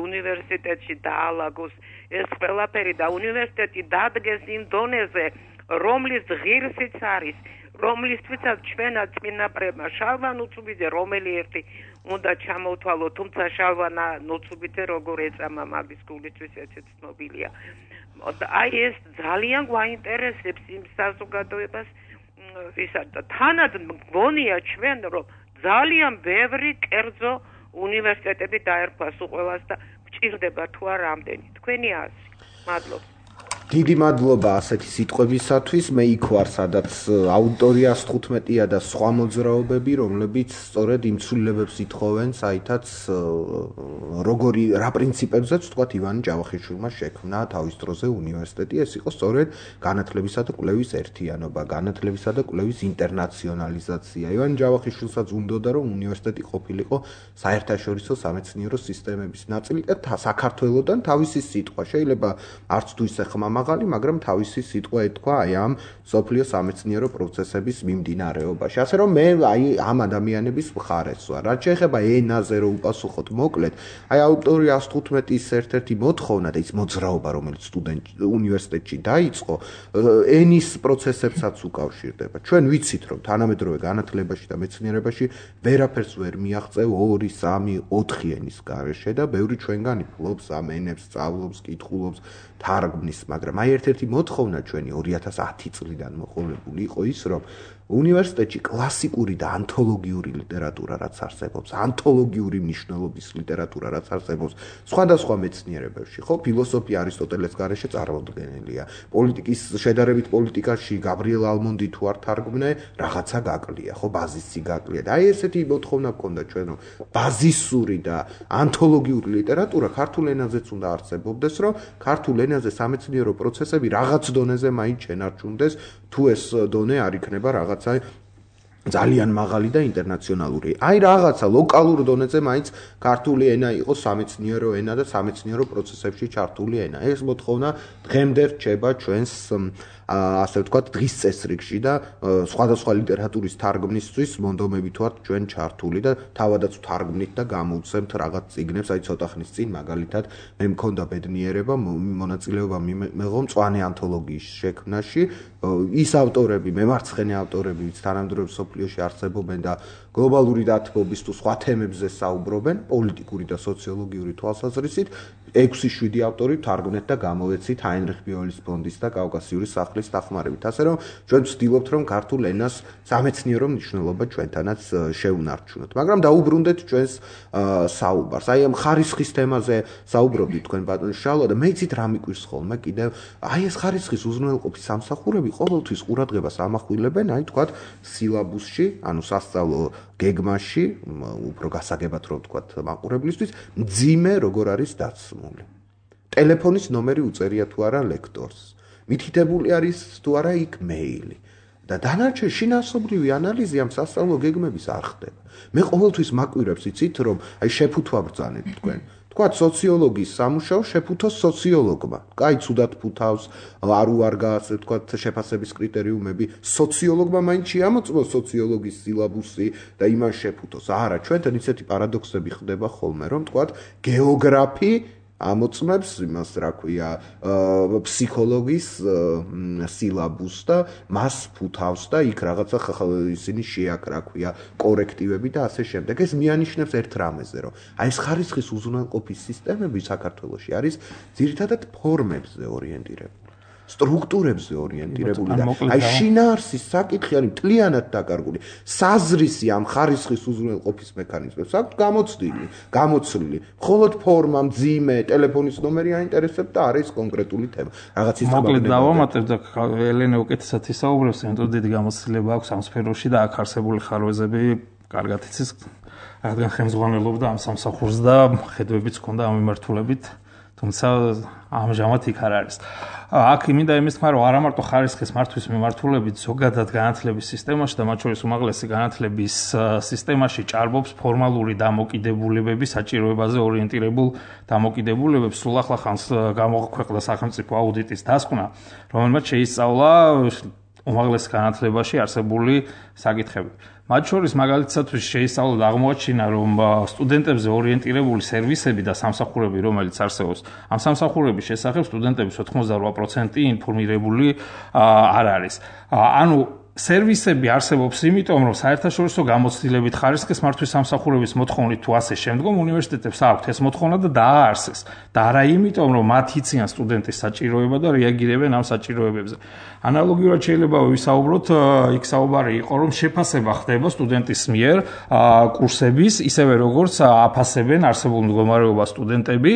უნივერსიტეტში დაალაგოს ეს ყველაფერი და უნივერსიტეტი დადგეს იმ დონეზე, რომლის ღირსიც არის, რომლისთვისაც ჩვენაც წინაპრებმა შალვა ნუცუბიძე რომელი ერთი უნდა ჩამოვთვალო, თუმცა შალვა ნუცუბიძე როგორ ეწამა მაგის გულისთვის ეცეთ ცნობილია. აი ეს ძალიან გვაინტერესებს იმ საზოგადოებას ისა და თანად მგონია ჩვენ რომ ძალიან ბევრი კერძო უნივერსიტეტები დაერქვა სულ ყველას და გჭირდება თუ არა ამდენი. თქვენი აზრი. მადლობა. დიდი მადლობა ასეთი სიტყვებისათვის. მე იქ ვარ, სადაც აუდიტორია ას თხუთმეტია და სხვა მოძრაობები, რომლებიც სწორედ იმ ცვლილებებს ითხოვენ, საითაც როგორი რა პრინციპებზეც თქვათ ივანე ჯავახიშვილმა შექმნა თავის დროზე უნივერსიტეტი. ეს იყო სწორედ განათლებისა და კვლევის ერთიანობა, განათლებისა და კვლევის ინტერნაციონალიზაცია. ივანე ჯავახიშვილსაც უნდოდა, რომ უნივერსიტეტი ყოფილიყო საერთაშორისო სამეცნიერო სისტემების ნაწილი და საქართველოსთან თავისი სიტყვა. შეიძლება არც თუ ისე ხმა მაღალი, მაგრამ თავისი სიტყვა ეთქვა აი ამ სოფლიო სამეცნიერო პროცესების მიმდინარეობაში. ასე რომ მე აი ამ ადამიანების მხარეს ვარ. რაც შეეხება ენაზე რო უპასუხოთ მოკლედ, აი აუდიტორია ას თხუთმეტის ერთ-ერთი მოთხოვნა და ის მოძრაობა, რომელიც სტუდენტ უნივერსიტეტში დაიწყო, ენის პროცესებსაც უკავშირდება. ჩვენ ვიცით, რომ თანამედროვე განათლებაში და მეცნიერებაში ვერაფერს ვერ მიაღწევ ორი, სამი, ოთხი ენის გარეშე და ბევრი ჩვენგანი ფლობს ამ ენებს, სწავლობს, კითხულობს, თარგმნის, მაგრამ აი ერთ-ერთი მოთხოვნა ჩვენი ორი ათას ათი წლიდან მოყოლებული იყო ის, რომ უნივერსიტეტში კლასიკური და ანთოლოგიური ლიტერატურა რაც არსებობს, ანთოლოგიური მნიშვნელობის ლიტერატურა რაც არსებობს, სხვადასხვა მეცნიერებებში, ხო, ფილოსოფია არისტოტელეს გარეშე წარმოდგენილია. პოლიტიკის შედარებით პოლიტიკაში გაბრიელ ალმონდი თუ არ თარგმნე, რაღაცა გაკლია, ხო, ბაზისი გაკლია. და აი ესეთი მოთხოვნა გქონდა ჩვენ, რომ ბაზისური და ანთოლოგიური ლიტერატურა ქართულ ენაზეც უნდა არსებობდეს, რომ ქართულ ენაზე სამეცნიერო პროცესები რაღაც დონეზე მაინც შენარჩუნდეს, თუ ეს დონე არ იქნება რაღაც ძალიან მაღალი და ინტერნაციონალური. აი რაღაცა ლოკალურ დონეზე მაინც ქართული ენა იყო სამეცნიერო ენა და სამეცნიერო პროცესებში ჩართული ენა. ეს მოთხოვნა დღემდე რჩება ჩვენს ასე ვთქვათ დღის წესრიგში და სხვადასხვა ლიტერატურის თარგმნისთვის მონდომებით ვართ ჩვენ ჩართული და თავადაც ვთარგმნით და გამოვცემთ რაღაც წიგნებს. აი ცოტა ხნის წინ მაგალითად მე მქონდა ბედნიერება მონაწილეობა მიღო მწვანე ანთოლოგიის შექმნაში. ის ავტორები, მემარცხენე ავტორები, ვინც თანამედროვე სოფლიოში არსებობენ და გლობალური დათბობის თუ სხვა თემებზე საუბრობენ, პოლიტიკური და სოციოლოგიური თვალსაზრისით, ექვსი შვიდი ავტორი თარგმნეთ და გამოვეცით ჰაინრიხ ბიოლის ფონდის და კავკასიური სახლის დახმარებით. ასე რომ ჩვენ ვცდილობთ, რომ ქართულ ენას სამეცნიერო მნიშვნელობა ჩვენთანაც შევუნარჩუნოთ. მაგრამ დაუბრუნდეთ ჩვენს საუბარს. აი ამ ხარისხის თემაზე საუბრობდით თქვენ ბატონო შალვა და მე იცით რა მიკვირს ხოლმე კიდევ, აი ეს ხარისხის უზრუნველყოფის სამსახურები ყოველთვის ყურადღებას ამახვილებენ, აი თქვათ სილაბუსში, ანუ სასწავლო გეგმაში, უფრო გასაგებად რომ ვთქვათ მაყურებლისთვის, მძიმე როგორ არის დაცმული. ტელეფონის ნომერი უწერია თუ არა ლექტორს. მითითებული არის თუ არა იქ მეილი. და დანარჩენ შინაარსობრივი ანალიზი ამ სასწავლო გეგმების არ ხდება. მე ყოველთვის მაკვირებს იცით, რომ აი შეფუთვა ბრძანეთ თქვენ. თქვათ სოციოლოგიის სამუშაო შეფუთოს სოციოლოგმა. კაი ცუდად ფუთავს, არ უარგა ასე ვთქვათ შეფასების კრიტერიუმები. სოციოლოგმა მაინც შეამოწმოს სოციოლოგიის სილაბუსი და იმან შეფუთოს. არა, ჩვენთან ისეთი პარადოქსები ხდება ხოლმე, რომ ვთქვათ გეოგრაფი ამოწმებს იმას რა ქვია ფსიქოლოგის სილაბუსს და მას ფუთავს და იქ რაღაცა ისინი შეაკ რა ქვია კორექტივები და ასე შემდეგ. ეს მიანიშნებს ერთ რამეზე, რომ აი ეს ხარისხის უზრუნველყოფის სისტემები საქართველოში არის ძირითადად ფორმებზე ორიენტირებული. სტრუქტურებზე ორიენტირებული და აი შინაარსის საკითხი არის მთლიანად დაკარგული. საზრისი ამ ხარისხის უზრუნველყოფის მექანიზმებს აქვს გამოცდილი, გამოცვლილი. მხოლოდ ფორმა, მძიმე, ტელეფონის ნომერი აინტერესებს და არის კონკრეტული თემა. რაღაც ის მოკლედ დავამატებ და ელენე უკეთესად ისაუბრებს, იმიტომ დიდი გამოცდილება აქვს ამ სფეროში და აქ არსებული ხარვეზები კარგად იცის, რადგან ხელმძღვანელობდა ამ სამსახურს და ხედვებიც ჰქონდა ამ მიმართულებით, თუმცა ამჟამად იქ არ არის. აქ მინდა იმის თქმა, რომ არა მარტო ხარისხის მართვის მიმართულებით, ზოგადად განათლების სისტემაში და მათ შორის უმაღლესი განათლების სისტემაში ჭარბობს ფორმალური დამოკიდებულებები, საჭიროებაზე ორიენტირებულ დამოკიდებულებებს. სულ ახლა ხანს გამოაქვეყნდა სახელმწიფო აუდიტის დასკვნა, რომელმაც შეისწავლა უმაღლეს განათლებაში არსებული საკითხები. მათ შორის მაგალითად შეისწავლა და აღმოაჩინა, რომ სტუდენტებზე ორიენტირებული სერვისები და სამსახურები, რომელიც არსებობს, ამ სამსახურების შესახებ სტუდენტების ოთხმოცდარვა პროცენტი ინფორმირებული არ არის. ანუ სერვისები არსებობს იმიტომ, რომ საერთაშორისო გამოცდილებით ხარისხის მართვის სამსახურების მოთხოვნით თუ ასე შემდგომ უნივერსიტეტებს აქვთ ეს მოთხოვნა და დააარსეს. და არა იმიტომ, რომ მათ იციან სტუდენტის საჭიროება და რეაგირებენ ამ საჭიროებებზე. ანალოგიურად შეიძლება ვისაუბროთ, იქ საუბარი იყო, რომ შეფასება ხდება სტუდენტის მიერ კურსების, ისევე როგორც აფასებენ არსებულ მდგომარეობას სტუდენტები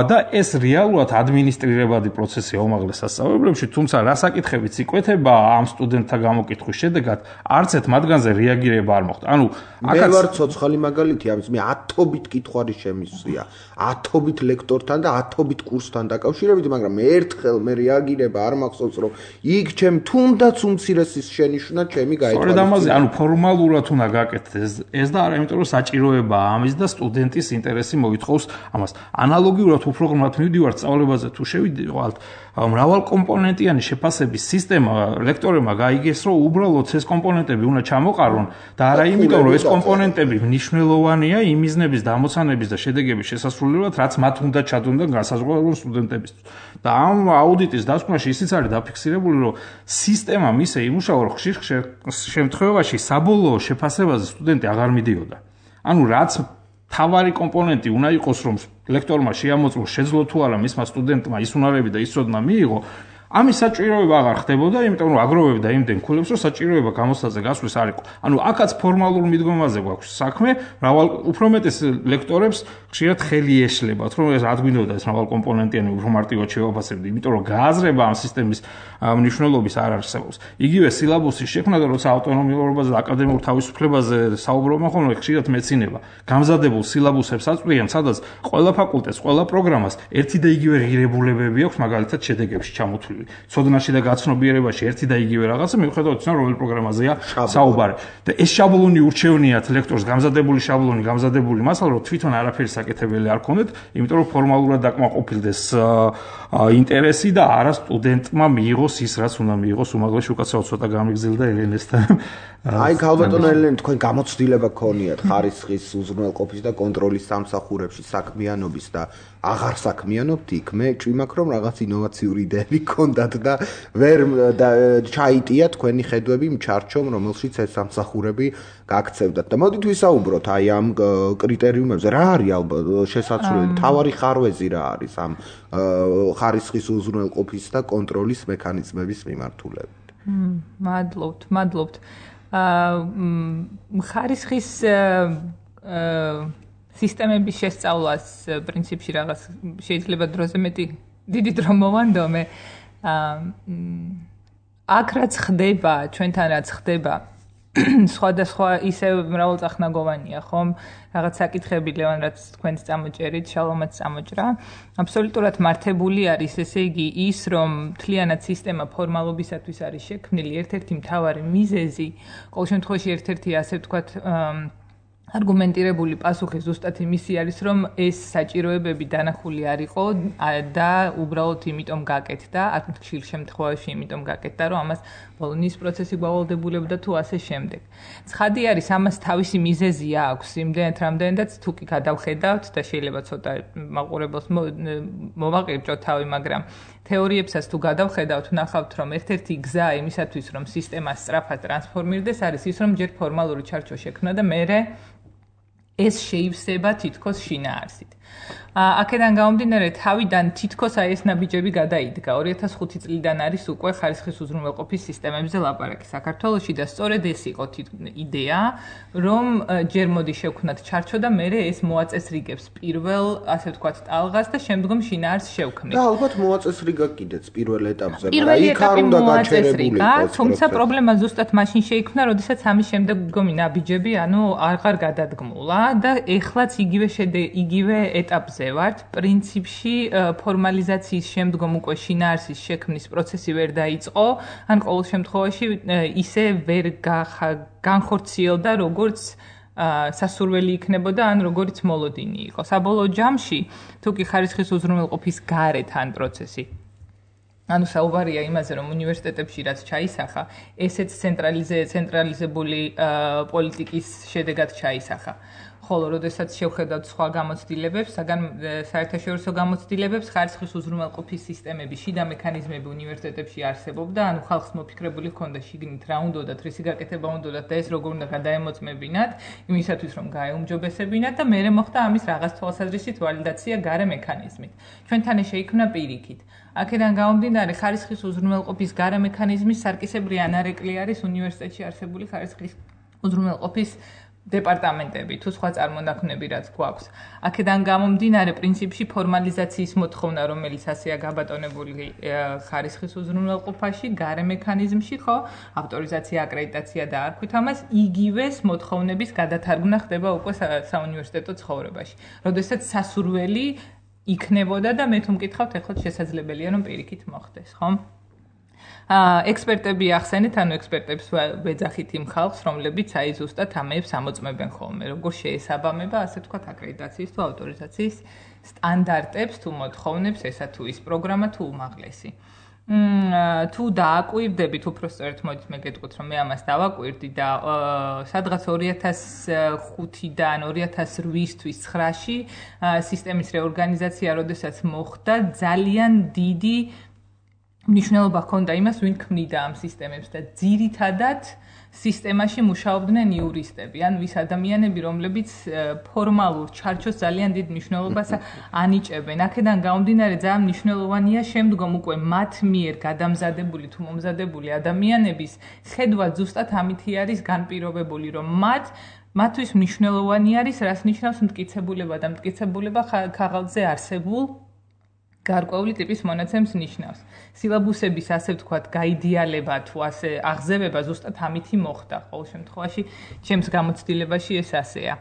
და ეს რეალურად ადმინისტრირებადი პროცესია უმაღლეს სასწავლებლებში, თუმცა რა საკითხებიც იკვეთება ამ სტუდენტთა გამოკითხვის შედეგად, არც ერთ მათგანზე რეაგირება არ მოხდა. ანუ აქაც მე ვარ ცოცხალი მაგალითი ამის, მე ათობით კითხვარი შემისვია, ათობით ლექტორთან და ათობით კურსთან დაკავშირებით, მაგრამ ერთხელ მე რეაგირება არ მახსოვს, რომ იქ ჩემ თუნდაც უმცირესის შენიშვნა ჩემი გაეთვალისწინა. სწორედ ამაზე, ანუ ფორმალურად უნდა გაკეთდეს ეს და არა იმიტომ, რომ საჭიროებაა ამის და სტუდენტის ინტერესი მოითხოვს ამას. ანალოგიურად უფრო ღრმად მივდივართ სწავლებაზე თუ შევიდივართ, მრავალკომპონენტიანი შეფასების სისტემა ლექტორებმა გაიგეს, რომ უბრალოდ ეს კომპონენტები უნდა ჩამოყარონ და არა იმიტომ, რომ ეს კომპონენტები მნიშვნელოვანია იმ მიზნების დამოცანების და შედეგების შესასრულებლად, რაც მათ უნდა ჩადონ და განსაზღვრავონ სტუდენტებისთვის. და ამ აუდიტის დასკვნაში ისიც არის დაფიქსირებული, რომ სისტემა მისე იმუშავა, რომ ხშირ შემთხვევაში საბოლოო შეფასებაზე სტუდენტი აღარ მიდიოდა. ანუ რაც თავარი კომპონენტი უნდა იყოს, რომ ლექტორმა შეამოწმოს შეძლო თუ არა მისმა სტუდენტმა ის უნარები და ის ცოდნა მიიღო, ამის საჭიროება აღარ ხდებოდა, იმიტომ რომ აგროვებდა იმდენ ქულებს, რომ საჭიროება გამოცდაზე გასვლის არ იყო. ანუ აქაც ფორმალურ მიდგომაზე გვაქვს საქმე, მრავალ უფრო მეტეს ლექტორებს ხშირად ხელი ეშლებათ, რომ ეს ადგინოდა ეს მრავალკომპონენტიანი უფრო მარტივად შევაფასებდი, იმიტომ რომ გააზრება ამ სისტემის მნიშვნელობის არ არსებობს. იგივე სილაბუსის შექმნა და როცა ავტონომიურობაზე და აკადემიურ თავისუფლებაზე საუბრობენ ხოლმე, ხშირად მეცინება გამზადებულ სილაბუსებს აწვდიან, სადაც ყველა ფაკულტეტს, ყველა პროგრამას ერთი და იგივე ღირებულებები აქვს, მაგალითად შედეგებში ჩამოთვლილი. ცოდნაში და გაცნობიერებაში ერთი და იგივე რაღაცა მიუხედავად იმისა, რომელ პროგრამაზეა საუბარი. და ეს შაბლონი ურჩევნიათ ლექტორს, გამზადებული შაბლონი, გამზადებული მასალა, რომ თვითონ არაფერი საკეთებელი არ ქონდეთ, იმიტომ რომ ფორმალურად დაკმაყოფილდეს ინტერესი და არა სტუდენტმა მიიღოს ის, რაც უნდა მიიღოს უმაღლეს უკაცრავად ცოტა გამიგზელდა ელენესთან. აი, ქალბატონო ელენე, თქვენ გამოცდილება გქონიათ ხარისხის უზრუნველყოფის და კონტროლის სამსახურებში საქმიანობის და აღარ საქმიანობთ იქ. მე ჭვიმაქ რომ რაღაც ინოვაციური იდეები გქონდათ და ვერ ჩაიტია თქვენი ხედვები იმ ჩარჩომ, რომელშიც ეს სამსახურები გაქცევდათ. და მოდით ვისაუბროთ აი ამ კრიტერიუმებზე. რა არის ალბათ შესაძლებელი თავარი ხარვეზი რა არის ამ ხარისხის უზრუნველყოფის და კონტროლის მექანიზმების მიმართულებით? მადლობთ, მადლობთ. ხარისხის სისტემების შესწავლას პრინციპში რაღაც შეიძლება დროზე მეტი დიდი დრო მოვანდომე. აქ რაც ხდება, ჩვენთან რაც ხდება, სხვადასხვა ისე მრავალწახნაგოვანია, ხომ? რაღაც საკითხები ლევან რაც თქვენც წამოჭერით, შალომაც წამოჭრა. აბსოლუტურად მართებული არის, ესე იგი, ის რომ მთლიანად სისტემა ფორმალობისათვის არის შექმნილი, ერთ-ერთი მთავარი მიზეზი, ყოველ შემთხვევაში ერთ-ერთი ასე ვთქვათ, არგუმენტირებული პასუხი ზუსტად იმისი არის, რომ ეს საჭიროებები დანახული არ იყო და უბრალოდ იმიტომ გაკეთდა, აქ ხშირ შემთხვევაში იმიტომ გაკეთდა, რომ ამას ბოლონის პროცესი გავალდებულებდა თუ ასე შემდეგ. ცხადი არის, ამას თავისი მიზეზი აქვს, იმდენად რამდენადაც თუ კი გადავხედავთ და შეიძლება ცოტა მაყურებელს მოვაყირჭოთ თავი, მაგრამ თეორიებსაც თუ გადავხედავთ, ვნახავთ, რომ ერთ-ერთი გზა იმისათვის, რომ სისტემა სწრაფად ტრანსფორმირდეს, არის ის, რომ ჯერ ფორმალური ჩარჩო შექმნა და მერე ეს შეივსება თითქოს შინაარსით. აქედან გამომდინარე, თავიდან თითქოს აი ეს ნაბიჯები გადაიდგა. ორი ათას ხუთი წლიდან არის უკვე ხარისხის უზრუნველყოფის სისტემებზე ლაპარაკი საქართველოში და სწორედ ეს იყო იდეა, რომ ჯერ მოდი შევქმნათ ჩარჩო და მერე ეს მოაწესრიგებს პირველ, ასე ვთქვათ, ტალღას და შემდგომ შინაარსს შევქმნით. და ალბათ მოაწესრიგა კიდეც პირველ ეტაპზე, მაგრამ იქ არ უნდა გაჩერებული იყოს. თუმცა პრობლემა ზუსტად მაშინ შეიქმნა, როდესაც ამის შემდგომი ნაბიჯები, ანუ აღარ გადადგმულა და ეხლაც იგივე იგივე ეტაპზე ვართ. პრინციპში ფორმალიზაციის შემდგომ უკვე შინაარსის შექმნის პროცესი ვერ დაიწყო, ან ყოველ შემთხვევაში ისე ვერ განხორციელდა, როგორც სასურველი იქნებოდა, ან როგორც მოლოდინი იყო. საბოლოო ჯამში, თუ კი ხარისხის უზრუნველყოფის გარეთ ან პროცესი ანუ საუბარია იმაზე, რომ უნივერსიტეტებში რაც ჩაისახა, ესეც ცენტრალიზებული პოლიტიკის შედეგად ჩაისახა. ხოლო როდესაც შევხედავთ სხვა გამოცდილებებს, საგან საერთაშორისო გამოცდილებებს, ხარისხის უზრუნველყოფის სისტემების შიდა მექანიზმები უნივერსიტეტებში არსებობდა, ანუ ხალხს მოფიქრებული ჰქონდა შიგნით რა უნდათ, რისი გაკეთება უნდათ და ეს როგორ უნდა გადაემოწმებინათ, იმისათვის რომ გაეუმჯობესებინათ და მერე მოხდა ამის რაღაც თვალსაზრისით ვალიდაცია გარე მექანიზმით. ჩვენთან შეიქმნა პირიქით. აქედან გამომდინარე, ხარისხის უზრუნველყოფის გარე მექანიზმის სარკისებრი ანარეკლი არის უნივერსიტეტში არსებული ხარისხის უზრუნველყოფის დეპარტამენტები თუ სხვა წარმონაქმნები რაც გვაქვს. აქედან გამომდინარე პრინციპში ფორმალიზაციის მოთხოვნა, რომელიც ასეა გაბატონებული ხარისხის უზრუნველყოფაში, გარე მექანიზმში, ხო, ავტორიზაცია, აკრედიტაცია და არქვით ამას, იგივეს მოთხოვნების გადათარგმნა ხდება უკვე საუნივერსიტეტო ცხოვრებაში. როდესაც სასურველი იქნებოდა და მე თუ მკითხავთ, ეხლა შესაძლებელია რომ პირიქით მოხდეს, ხო? ექსპერტები ახსენეთ, ანუ ექსპერტებს ვეძახით იმ ხალხს, რომლებიც აი ზუსტად ამებს ამოწმებენ ხოლმე, როგორ შეესაბამება, ასე ვთქვათ, აკრედიტაციის თუ ავტორიზაციის სტანდარტებს თუ მოთხოვნებს ესა თუ ის პროგრამა თუ უმაღლესი. თუ დააკვირდებით, უпроსტოდ მოდით მე გეტყვით, რომ მე ამას დავაკვირდი და სადღაც ორი ათას ხუთიდან ორი ათას რვისთვის ცხრაში სისტემის რეორგანიზაცია, როდესაც მოხდა, ძალიან დიდი მნიშვნელობა ჰქონდა იმას, ვინ ქმნიდა ამ სისტემებს და ძირითადად სისტემაში მუშაობდნენ იურისტები, ან ვის ადამიანები, რომლებიც ფორმალურ ჩარჩოს ძალიან დიდ მნიშვნელობას ანიჭებენ. აქედან გამომდინარე, ძალიან მნიშვნელოვანია შემდგომ უკვე მათ მიერ გადამზადებული თუ მომზადებული ადამიანების ხედვა ზუსტად ამითი არის განპირობებული, რომ მათ მათთვის მნიშვნელოვანი არის, რას ნიშნავს მტკიცებულება და მტკიცებულება ქაღალდზე არსებულ გარკვეული ტიპის მონაცემს ნიშნავს. სილაბუსების ასე ვთქვათ, გაიდეალება თუ ასე აღზევება ზუსტად ამითი მოხდა. ყოველ შემთხვევაში, ჩემს გამოცდილებაში ეს ასეა.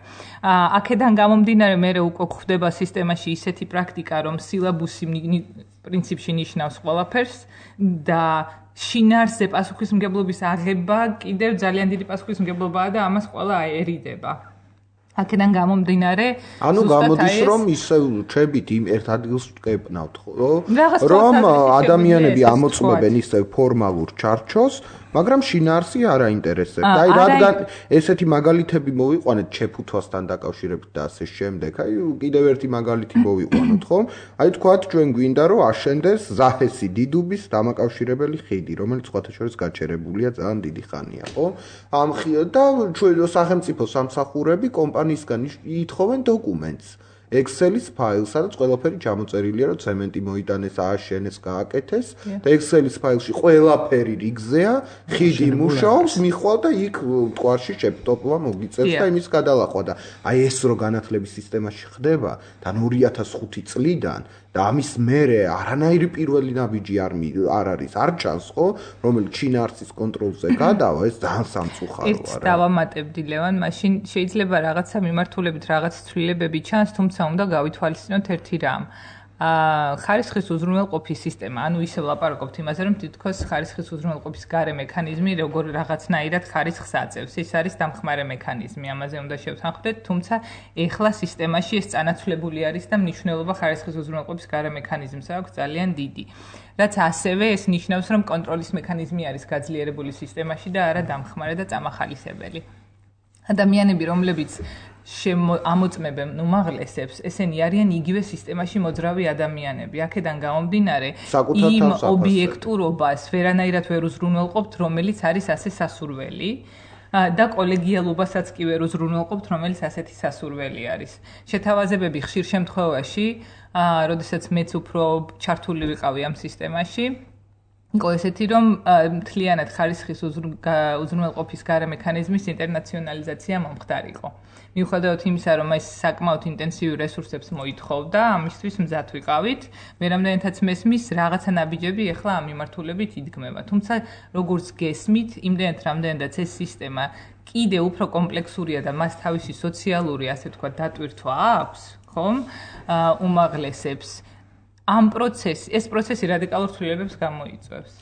აქედან გამომდინარე, მე უკვე გვხვდება სისტემაში ისეთი პრაქტიკა, რომ სილაბუსი პრინციპში ნიშნავს ყველაფერს და შინაარსზე პასუხისმგებლობის აღება კიდევ ძალიან დიდი პასუხისმგებლობაა და ამას ყველა ერიდება. აქედან გამომდინარე, ანუ გამოდის რომ ისევ ჩებით იმ ერთ ადგილს ვკეპნავთ, რომ ადამიანები ამოწმებენ ისევ ფორმალურ ჩარჩოს, მაგრამ შინაარსი არ აინტერესებს. აი რადგან ესეთი მაგალითები მოვიყვანეთ ჩეფუთვასთან დაკავშირებით და ასე შემდეგ. აი კიდევ ერთი მაგალითი მოვიყვანოთ, ხო? აი თქვათ ჩვენ გვინდა რომ აშენდეს ზაჰესი დიდუბის დამაკავშირებელი ხიდი, რომელიც სხვათა შორის გაჩერებულია ძალიან დიდი ხანია, ხო? ამ და ჩვენ სახელმწიფო სამსახურები კომპანიისგან ითხოვენ დოკუმენტს. Excel-ის ფაილს, სადაც ყველაფერი ჩამოწერილია, რომ ცემენტი მოიტანეს, ააშენეს, გააკეთეს და Excel-ის ფაილში ყველაფერი რიგზეა, ხიდი მუშაობს, მიხვალ და იქ მტკვარში შეფტოპლა მოგიწევს და იმის გადალახვა და აი ეს რო განათლების სისტემაში ხდება, თან ორი ათას ხუთი წლიდან და ამის მერე არანაირი პირველი ნაბიჯი არ არ არის, არ ჩანს, ხო, რომელიც შინაარსის კონტროლზე გადავა, ეს ძალიან სამწუხაროა. ეს დავამატებდი ლევან, მაშინ შეიძლება რაღაცა მიმართულებით რაღაც ცვლილებები ჩანს, თუმცა უნდა გავითვალისწინოთ ერთი რამ. ხარისხის უზრუნველყოფის სისტემა, ანუ ისე ვლაპარაკობთ იმაზე, რომ თითქოს ხარისხის უზრუნველყოფის გარე მექანიზმი როგორ რაღაცნაირად ხარისხს აწევს. ეს არის დამხმარე მექანიზმი, ამაზე უნდა შევთანხმდეთ, თუმცა ეხლა სისტემაში ეს წანაცვლებული არის და მნიშვნელობა ხარისხის უზრუნველყოფის გარე მექანიზმს აქვს ძალიან დიდი. რაც ასევე ეს ნიშნავს, რომ კონტროლის მექანიზმი არის გაძლიერებული სისტემაში და არა დამხმარე და წამახალისებელი. ადამიანები, რომლებიც ამოწმებენ უმაღლესებს, ესენი არიან იგივე სისტემაში მოძრავი ადამიანები. აქედან გამომდინარე, იმ ობიექტურობას ვერანაირად ვერ უზრუნველყოფთ, რომელიც არის ასე სასურველი. და კოლეგიალობასაც კი ვერ უზრუნველყოფთ, რომელიც ასეთი სასურველი არის. შეთავაზებები ხშირ შემთხვევაში, როდესაც მეც უფრო ჩართული ვიყავი ამ სისტემაში, იყო ესეთი, რომ მთლიანად ხარისხის უზრუნველყოფის გარე მექანიზმის ინტერნაციონალიზაცია მომხდარიყო. მიუხედავად იმისა, რომ ეს საკმაოდ ინტენსიურ რესურსებს მოითხოვდა, ამისთვის მზად ვიყავით, მე რამდენადაც მესმის რაღაცა ნაბიჯები ახლა ამ მიმართულებით იდგმება. თუმცა როგორც გესმით, იმდენად რამდენადაც ეს სისტემა კიდე უფრო კომპლექსურია და მას თავისი სოციალური, ასე ვთქვათ, დატვირთვა აქვს, ხომ? უმაღლესებს ამ პროცესი, ეს პროცესი რადიკალურ ცვლილებებს გამოიწვევს.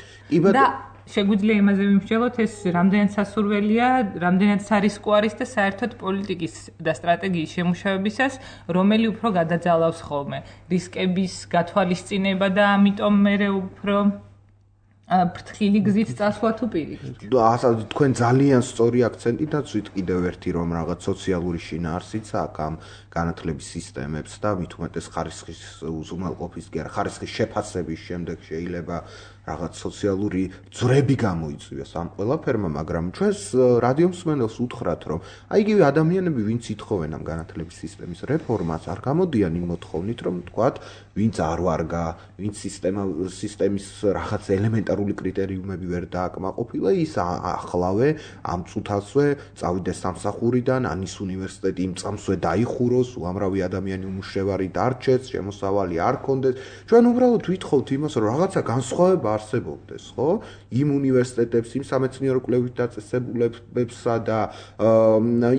და შეგვიძლია იმაზე ვიმსჯელოთ, ეს რამდენად სასურველია, რამდენად სარისკო არის და საერთოდ პოლიტიკის და სტრატეგიის შემუშავებისას, რომელი უფრო გადაძალავს ხოლმე რისკების გათვალისწინება და ამიტომ მე უფრო ფრთხილი გზით წასვლა თუ პირიქით. ასე თქვენ ძალიან სწორი აქცენტი დაცვით კიდევ ერთი რომ რაღაც სოციალური შინაარსიც აქვს ამ განათლების სისტემებს და მით უმეტეს ხარისხის უზრუნველყოფის კი არა ხარისხის შეფასების შემდეგ შეიძლება რაღაც სოციალური ძვრები გამოიწვიოს ამ ყველაფერმა, მაგრამ ჩვენს რადიო მსმენელს უთხრათ, რომ აი იგივე ადამიანები, ვინც ითხოვენ ამ განათლების სისტემის რეფორმას, არ გამოდიან იმ მოთხოვნით, რომ თქვათ, ვინც არ ვარგა, ვინც სისტემა სისტემის რაღაც ელემენტარული კრიტერიუმები ვერ დააკმაყოფილა, ის ახლავე ამ წუთასვე წავიდეს სამსახურიდან, ანის უნივერსიტეტი იმ წამსვე დაიხუროს, უამრავი ადამიანი უმუშევარი დარჩეს, შემოსავალი არ ქონდეს. ჩვენ უბრალოდ ვითხოვთ იმას, რომ რაღაცა განსხვავება არსებობდეს, ხო? იმ უნივერსიტეტებს, იმ სამეცნიერო კვლევით დაწესებულებებსა და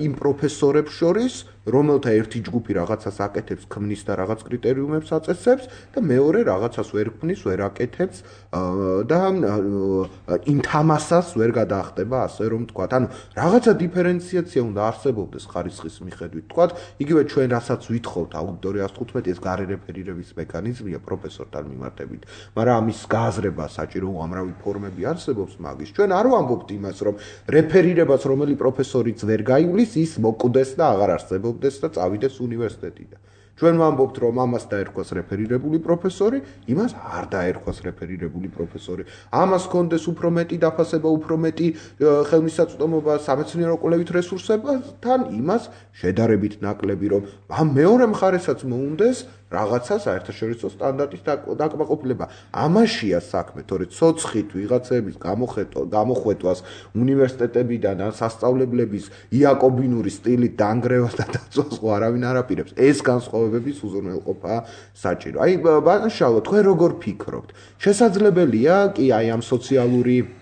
იმ პროფესორებს შორის, რომელთა ერთი ჯგუფი რაღაცას აკეთებს, ქმნის და რაღაც კრიტერიუმებს აწესებს და მეორე რაღაცას ვერ ქმნის, ვერ აკეთებს და იმ თამასას ვერ გადაახტება, ასე რომ თქვათ. ანუ რაღაცა დიფერენციაცია უნდა არსებობდეს ხარისხის მიხედვით. თქვათ, იგივე ჩვენ რასაც ვითხოვთ აუდიტორიას თხუთმეტი ეს გარე რეფერირების მექანიზმია პროფესორთან მიმართებით, მაგრამ ამის გააზრება საჭირო უამრავი ფორმები არსებობს მაგის. ჩვენ არ ვამბობთ იმას, რომ რეფერირებას რომელი პროფესორიც ვერ გაივლის, ის მოკვდეს და აღარ არსებობს და წავიდეს უნივერსიტეტიდან. ჩვენ ვამბობთ, რომ ამას დაერქვას რეფერირებული პროფესორი, იმას არ დაერქვას რეფერირებული პროფესორი. ამას კონდეს უფრო მეტი დაფასება, უფრო მეტი ხელმისაწვდომობა სამეცნიერო კვლევით რესურსებთან, იმას შედარებით ნაკლები, რომ ამ მეორე მხარესაც მოუნდეს რაღაცა საერთაშორისო სტანდარტის დაკმაყოფილება. ამაშია საქმე, თორე ცოცხით ვიღაცების გამოხვეტვას უნივერსიტეტებიდან ან სასწავლებლების იაკობინური სტილით დაანგრევას და დაწვას არავინ არ აპირებს. ეს განსხვავებების უზრუნველყოფა საჭირო. აი ბანაშალო, თქვენ როგორ ფიქრობთ? შესაძლებელია კი აი ამ სოციალური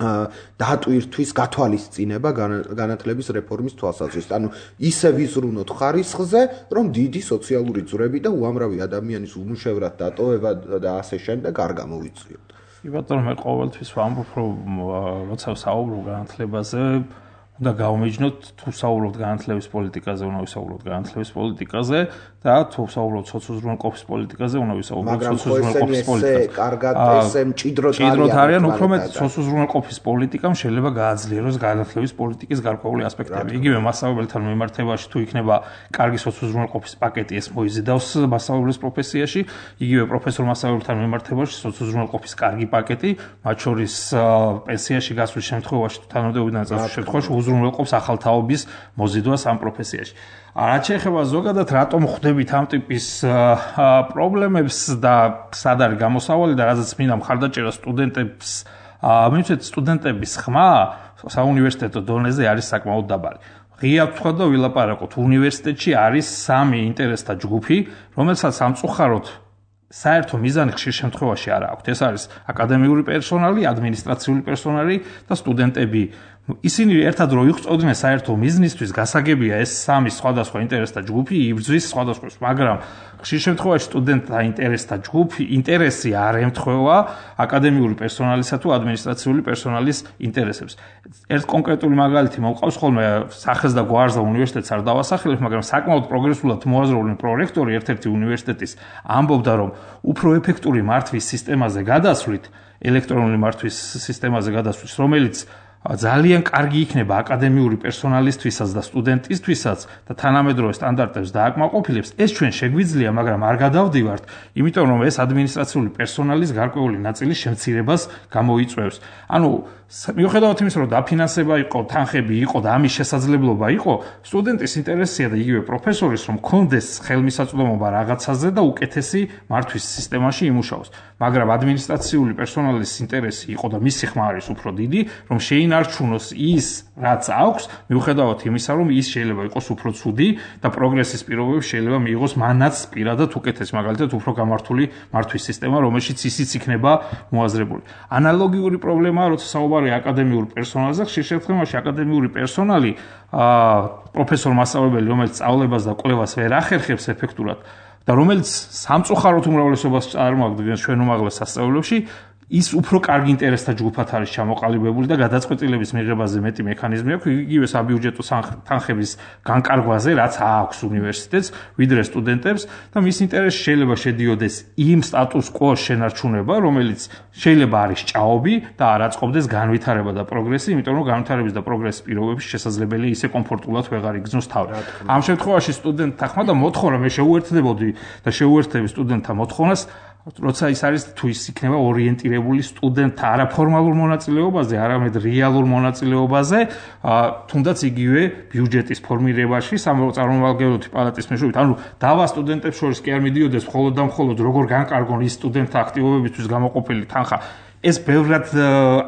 დატვირთვის გათვალისწინება განათლების რეფორმის თვალსაზრისით. ანუ ისე ვიზრუნოთ ხარისხზე, რომ დიდი სოციალური ძვრები და უამრავი ადამიანის უმუშევრად დატოვება და ასე შემდეგ არ გამოვიწვიოთ. კი ბატონო, მე ყოველთვის ვამბობ, რომ როცა საუბრობ განათლებაზე, უნდა გავმეჯნოთ თუ საუბრობთ განათლების პოლიტიკაზე, უნდა ვისაუბროთ განათლების პოლიტიკაზე და თუ საუბრობთ სოციალურ-ეკონომიკის პოლიტიკაზე, უნდა ვისაუბროთ სოციალურ-ეკონომიკის პოლიტიკაზე. მაგრამ კარგად ესე მჭიდროდ არიან. მჭიდროდ არიან, უფრო მეტ სოციალურ-ეკონომიკის პოლიტიკამ შეიძლება გააძლიეროს განათლების პოლიტიკის გარკვეული ასპექტები. იგივე მასწავლებელთან მიმართებაში თუ იქნება კარგი სოციალურ-ეკონომიკის პაკეტი, ეს მოიზიდავს მასწავლებლის პროფესიაში, იგივე პროფესორ მასწავლებელთან მიმართებაში სოციალურ-ეკონომიკის კარგი პაკეტი, მათ შორის პენსიაში გასვლის შემთხვევაში თუ თანამდებობიდან წასვლის შემთხვევაში უზრუნველყოფს ახალთაობის მოზიდვას ამ პროფესიაში. რაც შეეხება ზოგადად რატომ ხვდებით ამ ტიპის პრობლემებს და სად არის გამოსავალი და რაზეც მინდა მხარდაჭერა სტუდენტებს, მივცეთ სტუდენტების ხმა საუნივერსიტეტო დონეზე არის საკმაოდ დაბალი. ღია ვთქვა და ვილაპარაკოთ, უნივერსიტეტში არის სამი ინტერესთა ჯგუფი, რომელსაც სამწუხაროდ საერთო მიზანი ხშირ შემთხვევაში არ აქვს. ეს არის აკადემიური პერსონალი, ადმინისტრაციული პერსონალი და სტუდენტები. ისინი ერთად რო იღვწოდნენ საერთო მიზნისთვის, გასაგებია ეს სამი სხვადასხვა ინტერესთა ჯგუფი იბრძვის სხვადასხვა, მაგრამ ხშირ შემთხვევაში სტუდენტთა ინტერესთა ჯგუფი ინტერესი არ ემთხვევა აკადემიური პერსონალისა თუ ადმინისტრაციული პერსონალის ინტერესებს. ერთ კონკრეტული მაგალითი მოვყავს ხოლმე, სახეს და გვარს და უნივერსიტეტს არ დავასახელებ, მაგრამ საკმაოდ პროგრესულად მოაზროვნე პრორექტორი ერთ-ერთი უნივერსიტეტის ამბობდა, რომ უფრო ეფექტური მართვის სისტემაზე გადასვლით, ელექტრონული მართვის სისტემაზე გადასვლით, რომელიც ძალიან კარგი იქნება აკადემიური პერსონალისთვისაც და სტუდენტისთვისაც და თანამედროვე სტანდარტებს დააკმაყოფილებს, ეს ჩვენ შეგვიძლია, მაგრამ არ გადავდივართ, იმიტომ რომ ეს ადმინისტრაციული პერსონალის გარკვეული ნაწილის შემცირებას გამოიწვევს. ანუ მიუხედავად იმისა, რომ დაფინანსება იყო, თანხები იყო და ამის შესაძლებლობა იყო, სტუდენტის ინტერესია და იგივე პროფესორის, რომ კონდეს ხელმისაწვდომობა რაღაცაზე და უკეთესი მართვის სისტემაში იმუშაოს. მაგრამ ადმინისტრაციული პერსონალის ინტერესი იყო და მისი ხმა არის უფრო დიდი, რომ შეინარჩუნოს ის, რაც აქვს, მიუხედავად იმისა, რომ ის შეიძლება იყოს უფრო ცუდი და პროგრესის პირობებში შეიძლება მიიღოს მანაც პირადად უკეთესი, მაგალითად უფრო გამართული მართვის სისტემა, რომელშიც ისიც იქნება მოაზრებული. ანალოგიური პრობლემაა, როცა საუბარია აკადემიურ პერსონალზე, ხშირ შემთხვევაში აკადემიური პერსონალი, პროფესორ მასწავლებელი, რომელიც სწავლებას და კვლევას ვერ ახერხებს ეფექტურად და რომელიც სამწუხაროდ უმრავლესობას წარმოადგენს ჩვენ უმაღლეს სასწავლებლებში, ის უფრო კარგი ინტერესთა ჯგუფად არის ჩამოყალიბებული და გადაწყვეტილების მიღებაზე მეტი მექანიზმი აქვს, იგივე საბიუჯეტო თანხების განკარგვაზე, რაც აქვს უნივერსიტეტს, ვიდრე სტუდენტებს და მის ინტერესში შეიძლება შედიოდეს იმ სტატუს კვოს შენარჩუნება, რომელიც შეიძლება არის ჭაობი და არ აწყობდეს განვითარება და პროგრესი, იმიტომ რომ განვითარების და პროგრესის პირობებში შესაძლებელია ისე კომფორტულად ვეღარ იგრძნოს თავი. ამ შემთხვევაში სტუდენტთა ხმა და მოთხოვნა მე შეუერთდებოდი და შეუერთდები სტუდენტთა მოთხოვნას, როცა ის არის თუ ის იქნება ორიენტირებული სტუდენტთა არაფორმალურ მონაწილეობაზე, არამედ რეალურ მონაწილეობაზე, თუნდაც იგივე ბიუჯეტის ფორმირებაში, წარმომადგენლობითი პალატის მეშვეობით. ანუ დავა სტუდენტებს შორის კი არ მიდიოდეს მხოლოდ და მხოლოდ როგორ განკარგონ ის სტუდენტთა აქტივობებისთვის გამოყოფილი თანხა. ეს ბევრად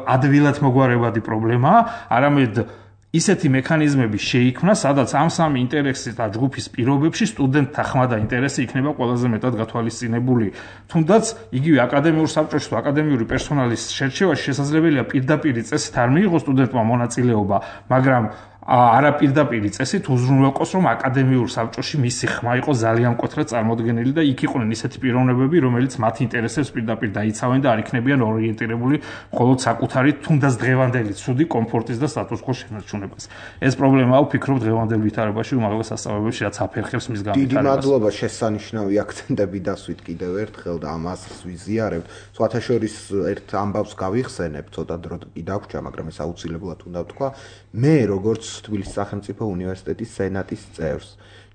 ადვილად მოგვარებადი პრობლემაა, არამედ ისეთი მექანიზმები შეიქმნა, სადაც ამ სამი ინტერესის და ჯგუფის პირობებში სტუდენტთა ხმა და ინტერესი იქნება ყველაზე მეტად გათვალისწინებული. თუნდაც იგივე აკადემიურ საბჭოში თუ აკადემიური პერსონალის შერჩევაში შესაძლებელია პირდაპირი წესით არ მიიღოს სტუდენტმა მონაწილეობა, მაგრამ არაპირდაპირი წესით უზრუნველყოს, რომ აკადემიურ საბჭოში მისი ხმა იყო ძალიან მკვეთრად წარმოდგენილი და იქ იყვნენ ისეთი პიროვნებები, რომელიც მათ ინტერესებს პირდაპირ დაიცავენ და არ იქნებიან ორიენტირებული მხოლოდ საკუთარი თუნდაც დღევანდელი ცუდი კომფორტის და სტატუს-კვოს შენარჩუნებას. ეს პრობლემაა, ვფიქრობ, დღევანდელ ვითარებაში უმაღლეს სასწავლებელში, რაც აფერხებს მის განვითარებას. დიდი მადლობა, შესანიშნავი აქცენტები დასვით კიდევ ერთხელ და ამას ვიზიარებთ. სხვათა შორის ერთ ამბავს გავიხსენებ, ცოტა დრო კი დაგვრჩა, მაგრამ ეს აუცილებლად უნდა ვთქვა. მე როგორც თბილისის სახელმწიფო უნივერსიტეტის სენატის წევრს.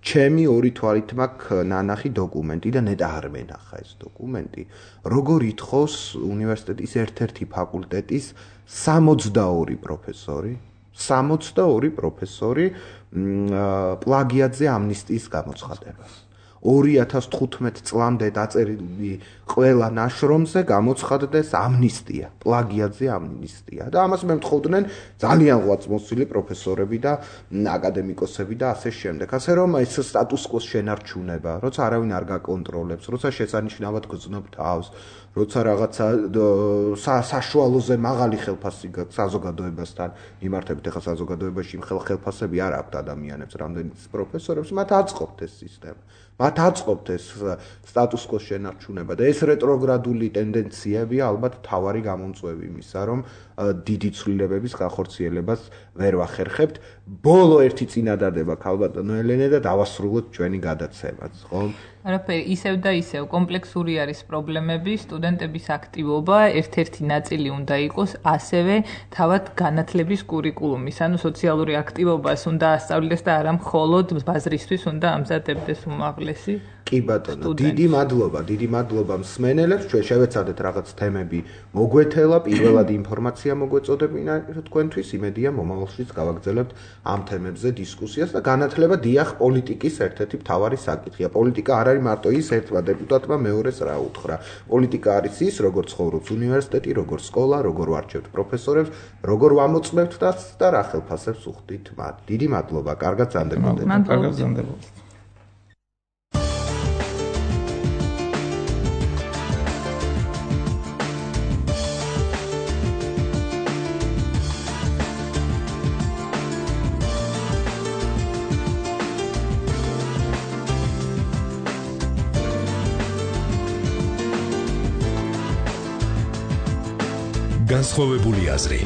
ჩემი ორი თვალით მაქვს ნანახი დოკუმენტი და ნეტა არ მენახა ეს დოკუმენტი. როგორ ითხოვს უნივერსიტეტის ერთ-ერთი ფაკულტეტის სამოცდაორი პროფესორი, სამოცდაორი პროფესორი პლაგიატზე ამნისტიის გამოცხადებას. ორი ათას თხუთმეტ წლამდე დაწერილი ყველა ნაშრომზე გამოცხადდეს ამნისტია, პლაგიატზე ამნისტია. და ამას მემთხოვდნენ ძალიან ღვაწლმოსილი პროფესორები და აკადემიკოსები და ასე შემდეგ. ასე რომ ეს სტატუს-კვოს შენარჩუნება, როცა არავინ არ გაკონტროლებს, როცა შესანიშნავად გრძნობ თავს, როცა რაღაცა საშუალოზე მაღალი ხელფასი გაქვს საზოგადოებასთან იმართებით, ახლა საზოგადოებაში იმ ხელფასები არ აქვთ ადამიანებს, რამდენიც პროფესორებს, მათ აწყობთ ეს სისტემა. მათ აწყობთ ეს სტატუს-კვოს შენარჩუნება და ეს რეტროგრადული ტენდენციებია ალბათ თავარი გამომწვევი იმისა, რომ დიდი ცვლილებების განხორციელებას ვერ ვახერხებთ. ბოლო ერთი წინადადება ქალბატონო ელენე და დავასრულოთ ჩვენი გადაცემაც, ხო? არაფერი, ისევ და ისევ კომპლექსური არის პრობლემები, სტუდენტების აქტივობა ერთ-ერთი ნაწილი უნდა იყოს ასევე თავად განათლების კურიკულუმის, ანუ სოციალური აქტივობას უნდა ასწავლდეს და არა მხოლოდ ბაზრისთვის უნდა ამზადებდეს უმაღლესი. კი ბატონო, დიდი მადლობა, დიდი მადლობა მსმენელებს. ჩვენ შევეცადეთ რაღაც თემები მოგვეთელა, პირველად ინფორმაცია მოგვეწოდებინა თქვენთვის, იმედია მომავალშიც გავაგრძელებთ ამ თემებზე დისკუსიას და განათლება დიახ პოლიტიკის ერთ-ერთი მთავარი საკითხია. პოლიტიკა არ არის მარტო ის ერთმა დეპუტატმა მეორეს რა უთხრა. პოლიტიკა არის ის, როგორ ცხოვრობს უნივერსიტეტი, როგორ სკოლა, როგორ ვარჩევთ პროფესორებს, როგორ ვამოწმებთ დას და რა ხელფასებს უხდით მათ. დიდი მადლობა, კარგად ზანდებოდეთ. კარგად ზანდებოდეთ. განსხვავებული აზრი